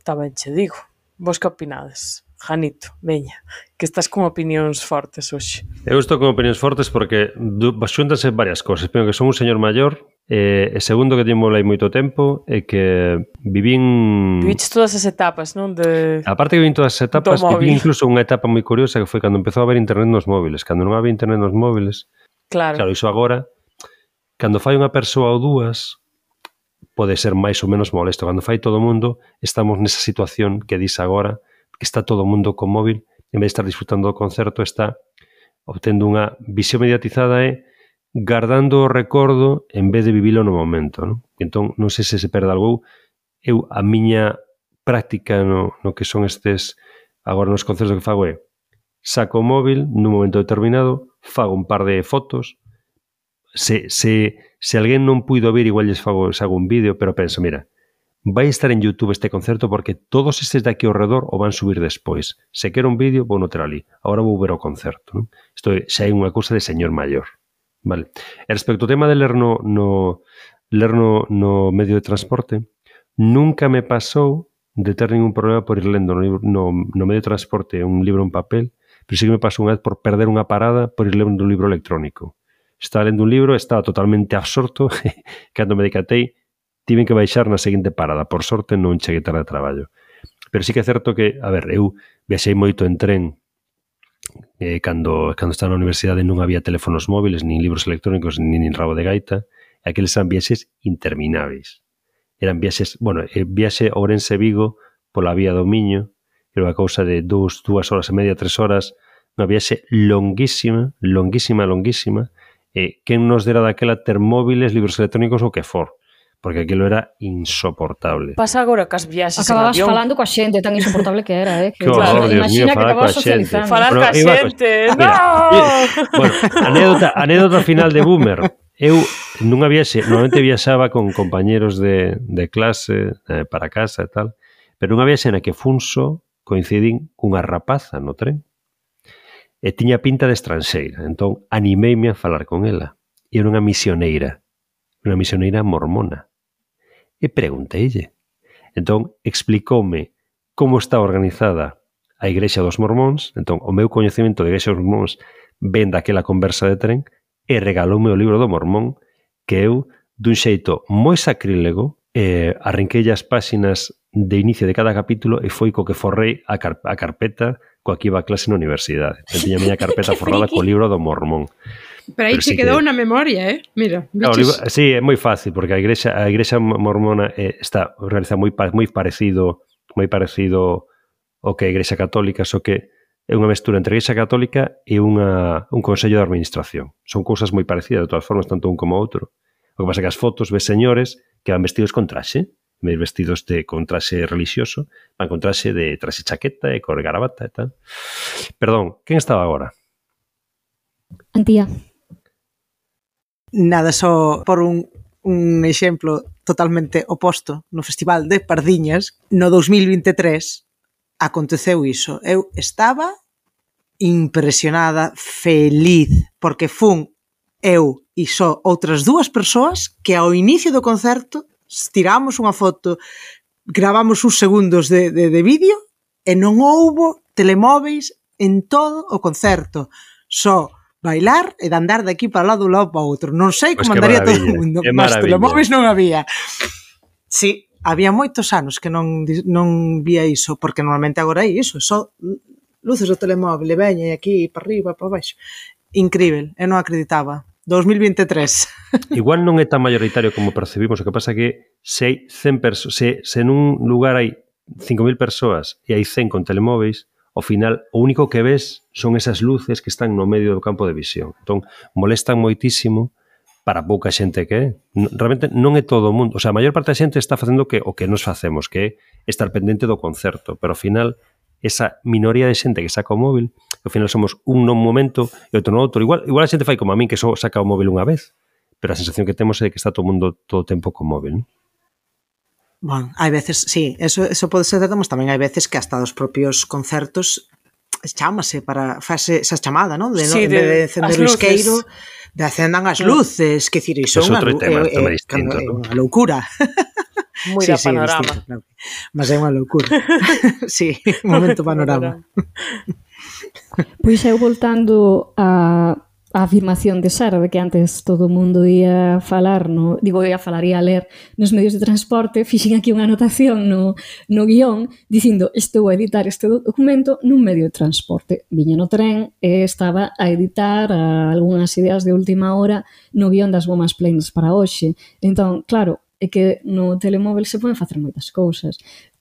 Tamén che digo. Vos que opinades? Janito, veña, que estás con opinións fortes hoxe. Eu estou con opinións fortes porque xúntanse varias cosas. Primeiro que son un señor maior, e segundo que teño aí moito tempo, e que Viviches todas as etapas, non? Aparte que vivin todas as etapas, viví incluso unha etapa moi curiosa que foi cando empezou a haber internet nos móviles. Cando non había internet nos móviles, claro, iso agora, cando fai unha persoa ou dúas, pode ser máis ou menos molesto. Cando fai todo o mundo, estamos nesa situación que dis agora, que está todo o mundo con móvil, en vez de estar disfrutando do concerto, está obtendo unha visión mediatizada e guardando o recordo en vez de vivilo no momento, non? Entón, non sei se perde algo. A miña práctica no que son estes, agora nos concertos que fago é, saco o móvil nun momento determinado, fago un par de fotos, se alguén non puido vir, igual sago un vídeo, pero penso, mira, vai estar en YouTube este concerto porque todos estes de aquí ao redor o van subir despois. Se quero un vídeo, vou no ter ali. Agora vou ver o concerto, non? Isto xa é unha cousa de señor maior. Vale. E respecto ao tema de ler no medio de transporte, nunca me pasou de ter ningún problema por ir lendo no medio de transporte un libro en papel, pero sí que me pasou unha vez por perder unha parada por ir lendo un libro electrónico. Estaba lendo un libro, estaba totalmente absorto, cando me decatei, tiven que baixar na seguinte parada. Por sorte non cheguei tarde de traballo. Pero sí que é certo que, a ver, eu viaxei moito en tren cando estaba na universidade non había teléfonos móviles, nin libros electrónicos, nin rabo de gaita, e aqueles eran viaxes intermináveis. Eran viaxes, viaxe Ourense-Vigo pola vía do Miño, era unha cousa de 2 horas e media, 3 horas, unha viaxe longuísima, e quen nos dera daquela ter móviles, libros electrónicos ou que for, porque aquilo era insoportable. Pasa agora cas viaxes acababas en avión. Falando coa xente, tan insoportable que era, Que horror, Dios mío, falar coa xente. Falar coa xente, Bueno, anécdota final de boomer. Eu nunha viaxe, normalmente viaxaba con compañeros de clase para casa e tal, pero nunha viaxe na que Funso coincidín cunha rapaza no tren e tiña pinta de estranxeira, entón animeime a falar con ela. E era unha misioneira mormona. E pregunteille. Entón, explicoume como está organizada a Igrexa dos Mormóns. Entón, o meu coñecemento de Igrexa dos Mormóns ven daquela conversa de tren e regaloume o libro do Mormón, que eu, dun xeito moi sacrílego, arrinquei as páxinas de inicio de cada capítulo e foi co que forrei a carpeta coa que iba a clase na universidade. Tiña a miña carpeta forrada co libro do Mormón. Pero aí se quedou na memoria, Mira, biches. Sí, é moi fácil, porque a igrexa mormona está organizada moi parecido ao que a igrexa católica, só que é unha mestura entre a igrexa católica e un consello de administración. Son cousas moi parecidas, de todas formas, tanto un como outro. O que pasa que as fotos ves señores que van vestidos con traxe, vestidos con traxe religioso, van con traxe de traxe chaqueta e con gravata e tal. Perdón, quen estaba agora? Antía. Nada, só por un exemplo totalmente oposto, no Festival de Pardiñas, no 2023, aconteceu iso. Eu estaba impresionada, feliz, porque fun eu e só outras dúas persoas que ao inicio do concerto tiramos unha foto, gravamos uns segundos de vídeo e non houbo telemóveis en todo o concerto. Só bailar e de andar de aquí para o lado para o outro. Non sei como andaría todo o mundo, mas telemóveis non había. Sí, había moitos anos que non vía iso, porque normalmente agora é iso, só luces do telemóvel, veña aquí para arriba, para baixo. Incrível, eu non acreditaba. 2023. Igual non é tan mayoritario como percibimos, o que pasa que se nun lugar hai 5.000 persoas e hai 100 con telemóveis, ao final, o único que ves son esas luces que están no medio do campo de visión. Entón, molestan moitísimo para pouca xente que é. Realmente non é todo o mundo. O sea, a maior parte da xente está facendo o que nos facemos, que é estar pendente do concerto. Pero ao final, esa minoría de xente que saca o móvil, ao final somos un non momento e outro no outro. Igual a xente fai como a min, que só saca o móvil unha vez, pero a sensación que temos é que está todo o mundo todo o tempo co móvil, non? Bueno, hai veces, sí, eso pode ser certo, mas tamén hai veces que hasta os propios concertos chámase para fase esa chamada, non? De encender o isqueiro, de acendan as luces, que dicir, iso é unha loucura. Moi da panorama. Claro. Mas é unha loucura. Sí, un momento panorama. Pois eu voltando a afirmación de Sara de que antes todo o mundo ia falar ia ler nos medios de transporte, fixen aquí unha anotación no guión dicindo estou a editar este documento nun medio de transporte. Viña no tren e estaba a editar algunhas ideas de última hora no guión das Women's Planes para hoxe. Entón, claro, é que no telemóvel se poden facer moitas cousas.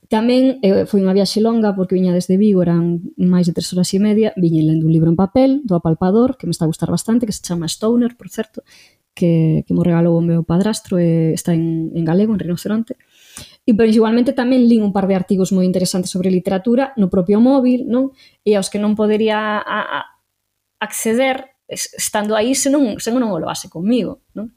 Tamén foi unha viaxe longa porque viña desde Vigo, eran máis de 3 horas e media, viña lendo un libro en papel do Apalpador, que me está a gustar bastante, que se chama Stoner, por certo, que mo regalou o meu padrastro e está en galego, en Rinoceronte. E pois igualmente tamén lín un par de artigos moi interesantes sobre literatura no propio móvil, non? E aos que non podería acceder estando aí se non o levase comigo, non?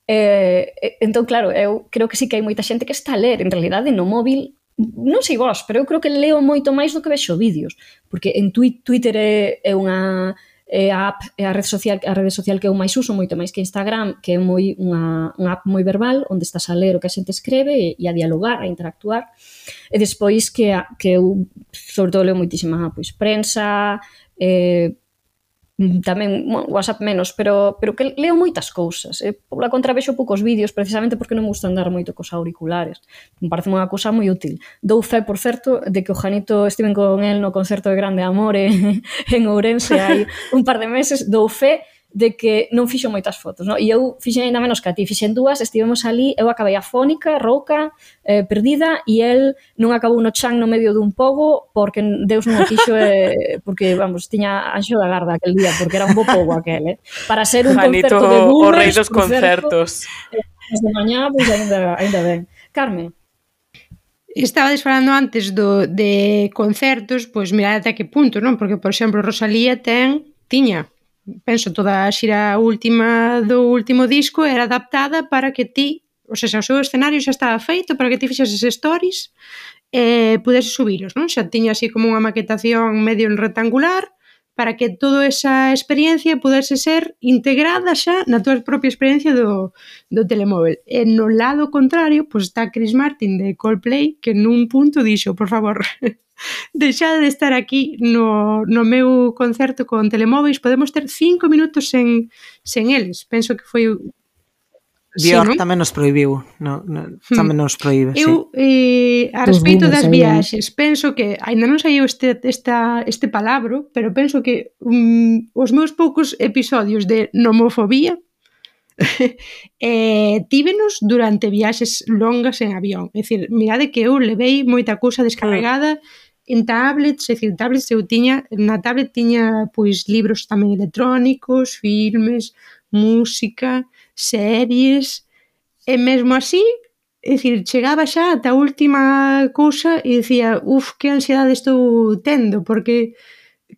Entón, claro, eu creo que sí que hai moita xente que está a ler, en realidade, no móvil. Non sei vos, pero eu creo que leo moito máis do que vexo vídeos, porque en Twitter é unha app, é a rede social que eu máis uso, moito máis que Instagram, que é unha app moi verbal, onde estás a ler o que a xente escreve e a dialogar, a interactuar. E despois que eu, sobre todo, leo moitísima prensa, tamén WhatsApp menos, pero que leo moitas cousas. Pola contra vexo poucos vídeos precisamente porque non me gusta andar moito cos auriculares. Me parece unha cousa moi útil. Dou fe, por certo, de que o Janito estiven con el no concerto de Grande Amore en Ourense hai un par de meses. Dou fe de que non fixo moitas fotos, non? E eu fixen ainda menos que a ti, fixen dúas, estivemos ali, eu acabei afónica, rouca, perdida, e el non acabou no chan no medio dun pogo porque Deus non o quixo, porque, vamos, tiña anxo da garda aquel día, porque era un bo pogo aquel, para ser un Janito, concerto de boomers, o rei dos concertos. Desde mañá, pois ainda ben. Carmen? Estabades falando antes de concertos, pois mirad até que punto, non? Porque, por exemplo, Rosalía tiña toda a xira última do último disco era adaptada para que ti, o sea, o seu escenario xa estaba feito para que ti fixeses stories e pudeses subiros, non? Xa tiña así como unha maquetación medio rectangular para que toda esa experiencia pudese ser integrada xa na tua propia experiencia do telemóvel. E no lado contrario, pois está Chris Martin de Coldplay, que nun punto dixo, por favor, deixade de estar aquí no meu concerto con telemóveis, podemos ter 5 minutos sen eles. Penso que foi... Björk tamén nos prohibiu, tamén nos proíbe, Eu, a respecto das viaxes, penso que, ainda non saiu este palabro, pero penso que os meus poucos episodios de nomofobia tívenos durante viaxes longas en avión. É dicir, mirade que eu levei moita cousa descarregada en tablets, é dicir, tablets eu tiña, na tablet tiña pois libros tamén electrónicos, filmes, música, series, e mesmo así, é dicir, chegaba xa ata a última cousa e dicía, que ansiedade estou tendo, porque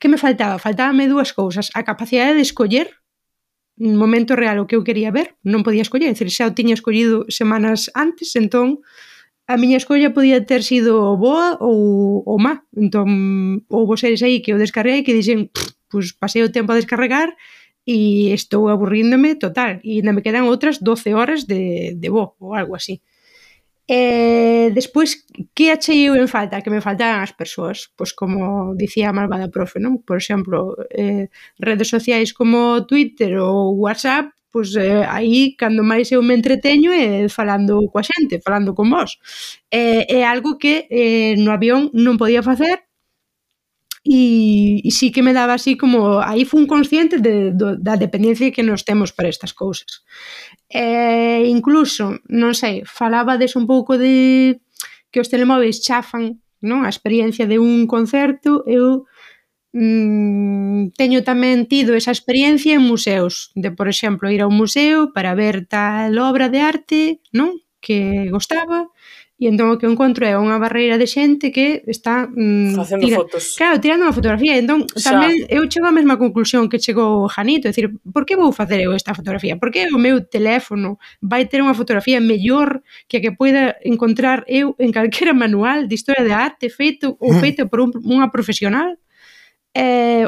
que me faltaba? Faltábame dúas cousas, a capacidade de escoller no momento real o que eu quería ver, non podía escoller, é dicir, xa o tiña escollido semanas antes, entón a miña escolla podía ter sido boa ou má, entón houbo series aí que eu descarguei que dixen, pois pasei o tempo a descarregar e estou aburríndome total, e ainda me quedan outras 12 horas de voo ou algo así. Despois, que achei eu en falta? Que me faltaban as persoas, pois como dicía a malvada profe, non? Por exemplo, redes sociais como Twitter ou WhatsApp, pois aí, cando máis eu me entreteño é falando coa xente, falando con vos. É algo que no avión non podía facer, e sí que me daba así como... Aí fui consciente da dependencia que nos temos para estas cousas. Incluso, non sei, falabades un pouco de que os telemóveis chafan, non? A experiencia de un concerto. Eu teño tamén tido esa experiencia en museos, de, por exemplo, ir a un museo para ver tal obra de arte, non? Que gostaba, e entón o que encontro é unha barreira de xente que está facendo fotos. Claro, tirando unha fotografía. Entón, tamén eu chego á mesma conclusión que chegou Janito, é dicir, por que vou facer eu esta fotografía? Por que o meu teléfono vai ter unha fotografía mellor que a que poida encontrar eu en calquera manual de historia de arte feito por unha profesional?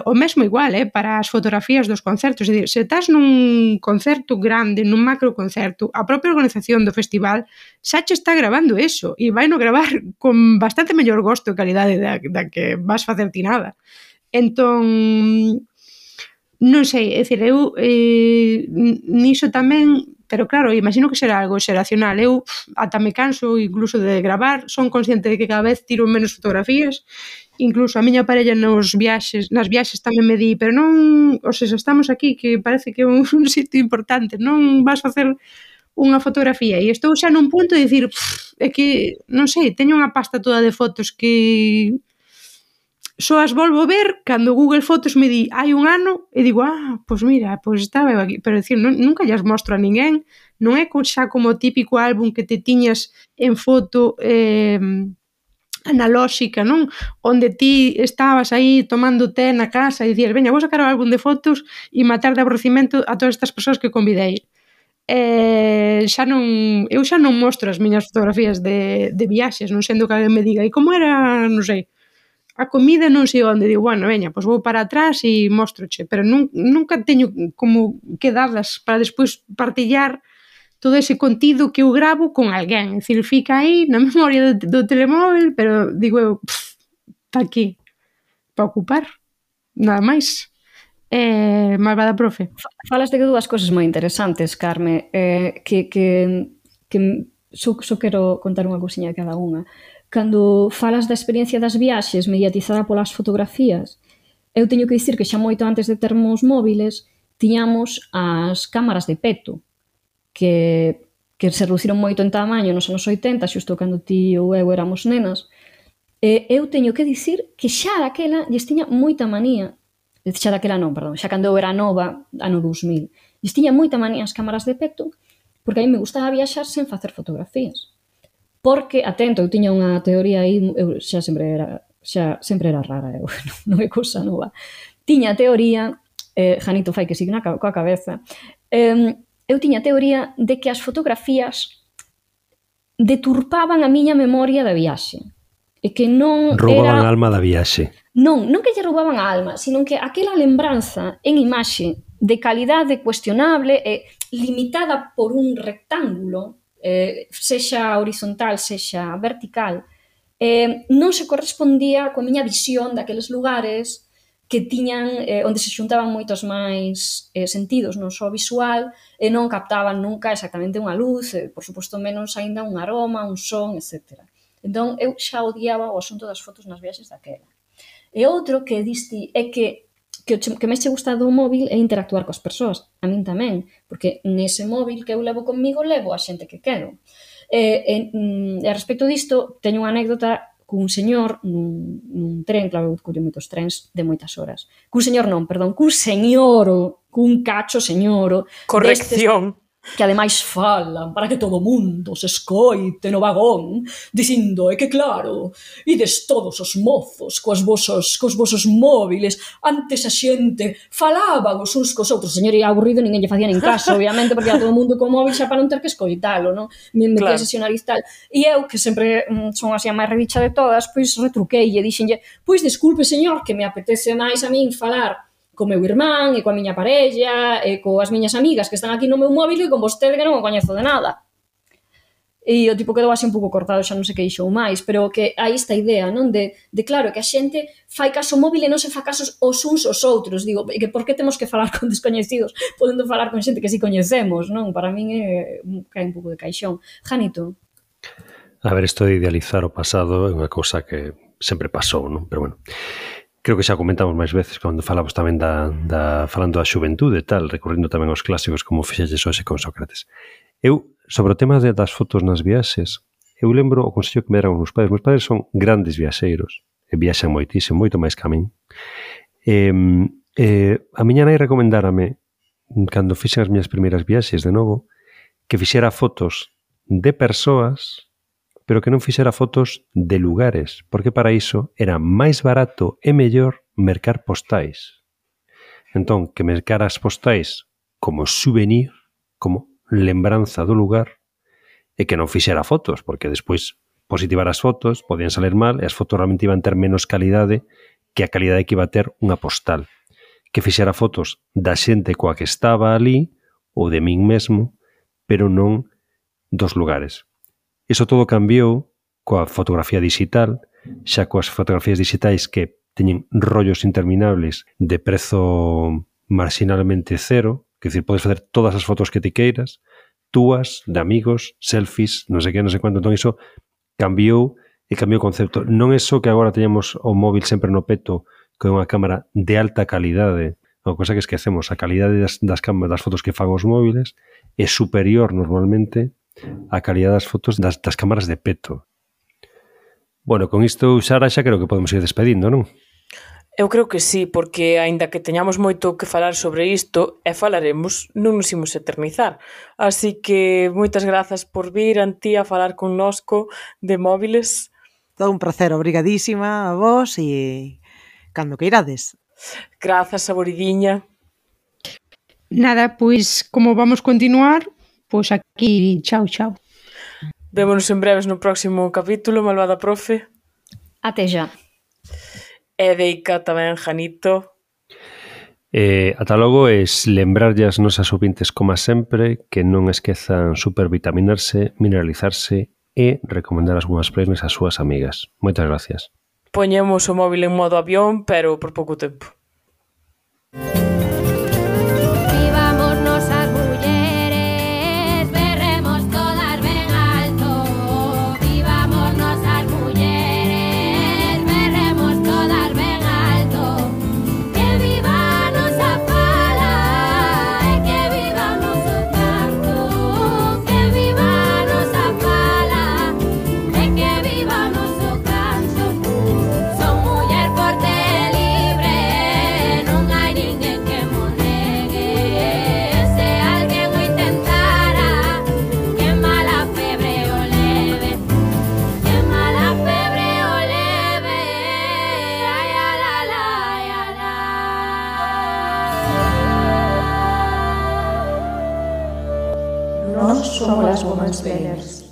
O mesmo igual, para as fotografías dos concertos. É dicir, se estás nun concerto grande, nun macro concerto, a propia organización do festival xa che está grabando eso, e vai no gravar con bastante mellor gosto e calidade da que vas facer ti nada. Entón, non sei, é dicir, eu niso tamén, pero claro, imagino que será algo xeracional. Eu ata me canso incluso de gravar, son consciente de que cada vez tiro menos fotografías. Incluso a miña parella nas viaxes tamén me di, pero non, ou seja, estamos aquí que parece que é un sitio importante, non vas facer unha fotografía, e estou xa nun punto de dicir, é que, non sei, teño unha pasta toda de fotos que só as volvo ver cando Google Fotos me di hai un ano, e digo, pois mira, pois estaba eu aquí, pero dicir, nunca llas mostro a ninguén, non é xa como o típico álbum que te tiñas en foto analóxica, non? Onde ti estabas aí tomando té na casa e dicías, veña, vou sacar o álbum de fotos e matar de aborrecimento a todas estas persoas que convidei. Eu xa non mostro as miñas fotografías de viaxes, non sendo que alguén me diga, e como era, non sei, a comida non sei onde, digo, bueno, veña, pois vou para atrás e mostroche, pero nunca teño como quedadas para despois partillar todo ese contido que eu gravo con alguén. É dicir, fica aí na memoria do telemóvel, pero digo eu, para qué? Para ocupar? Nada máis. Malvada profe. Falas de dúas cousas moi interesantes, Carme, que só quero contar unha cousiña de cada unha. Cando falas da experiencia das viaxes mediatizada polas fotografías, eu teño que dicir que xa moito antes de termos móviles tiñamos as cámaras de peto, que se reduciron moito en tamaño nos anos 80, xusto cando ti ou eu éramos nenas. Eu teño que dicir que xa daquela lles tiña moita manía, xa cando eu era nova, ano 2000, lles tiña moita manía as cámaras de peto, porque a mí me gustaba viaxar sen facer fotografías. Porque, atento, eu tiña unha teoría aí, eu xa sempre era rara, eu non é cousa nova. Tiña a teoría, Janito fai que signa coa cabeza, eu tiña a teoría de que as fotografías deturpaban a miña memoria da viaxe. E que non roubaban a alma da viaxe. Non que lle roubaban a alma, sino que aquela lembranza en imaxe de calidade cuestionable e limitada por un rectángulo, sexa horizontal, sexa vertical, non se correspondía coa miña visión daqueles lugares que tiñan, onde se xuntaban moitos máis sentidos, non só visual, e non captaban nunca exactamente unha luz, por suposto menos aínda un aroma, un son, etc. Entón, eu xa odiaba o asunto das fotos nas viaxes daquela. E outro que diste é que máis che gusta do móvil é interactuar coas persoas, a min tamén, porque nese móvil que eu levo conmigo levo a xente que quero. E a respecto disto, teño unha anécdota cun señor nun tren, claro, eu collo moitos trens de moitas horas. Cun cacho señoro. Corrección. Que ademais falan para que todo o mundo se escoite no vagón, dicindo, que claro, ides todos os mozos cos vosos móviles, antes a xente falaban os uns cos outros, señor, e aburrido, ninguén lle facía nin caso, obviamente, porque era todo o mundo co móvil xa para non ter que escoitalo, non? Me metía ese nariz tal. E eu, que sempre son así a máis redicha de todas, pois retruquei e dixenlle, pois desculpe, señor, que me apetece máis a min falar co meu irmán, e coa miña parella, e coas miñas amigas que están aquí no meu móvil, e con vostede que non o coñezo de nada. E o tipo quedou así un pouco cortado, xa non sei que dixou máis, pero que hai esta idea, non? De claro, que a xente fai caso ao móvil e non se fa casos os uns aos outros. Digo, e que por que temos que falar con descoñecidos podendo falar con xente que si coñecemos, non? Para min cae un pouco de caixón. Janito? A ver, isto de idealizar o pasado é unha cousa que sempre pasou, non? Pero bueno, creo que xa comentamos máis veces cando falamos tamén falando da xuventude e tal, recorrendo tamén aos clásicos como fixelles hoxe con Sócrates. Eu, sobre o tema das fotos nas viaxes, eu lembro o consello que me deran os meus padres. Meus padres son grandes viaxeiros, e viaxan moitísimo, moito máis que a min. A miña nai recomendárame, cando fixen as miñas primeiras viaxes de novo, que fixera fotos de persoas, pero que non fixera fotos de lugares, porque para iso era máis barato e mellor mercar postais. Entón, que mercara as postais como souvenir, como lembranza do lugar, e que non fixera fotos, porque despois positivar as fotos podían salir mal e as fotos realmente iban ter menos calidade que a calidade que iba a ter unha postal. Que fixera fotos da xente coa que estaba ali ou de min mesmo, pero non dos lugares. Iso todo cambiou coa fotografía digital, xa coas fotografías digitais que teñen rollos interminables de prezo marginalmente cero, que dicir, podes facer todas as fotos que ti queiras, túas, de amigos, selfies, non sei que, non sei cuánto. Entón iso cambiou e cambiou o concepto. Non é só que agora teñamos o móvil sempre no peto con unha cámara de alta calidade, unha cosa que esquecemos, a calidade das fotos que fan os móviles é superior normalmente a calidade das fotos das cámaras de peto. Bueno, con isto, Sara, xa creo que podemos ir despedindo, non? Eu creo que sí, porque aínda que teñamos moito que falar sobre isto, e falaremos, non nos imos eternizar. Así que moitas grazas por vir, Antía, a falar connosco de móviles. Todo un placer, obrigadísima a vos e cando que irades. Grazas, Saboridiña. Nada, pois, como vamos continuar, pois aquí, chao, chao. Vémonos en breves no próximo capítulo, malvada profe. Até já. E deica tamén, Janito. Ata logo, es lembrarlle as nosas ouvintes, como sempre, que non esquezan supervitaminarse, mineralizarse e recomendar as boas playlists ás súas amigas. Moitas gracias. Poñemos o móvil en modo avión, pero por pouco tempo. Somos las Women's Players.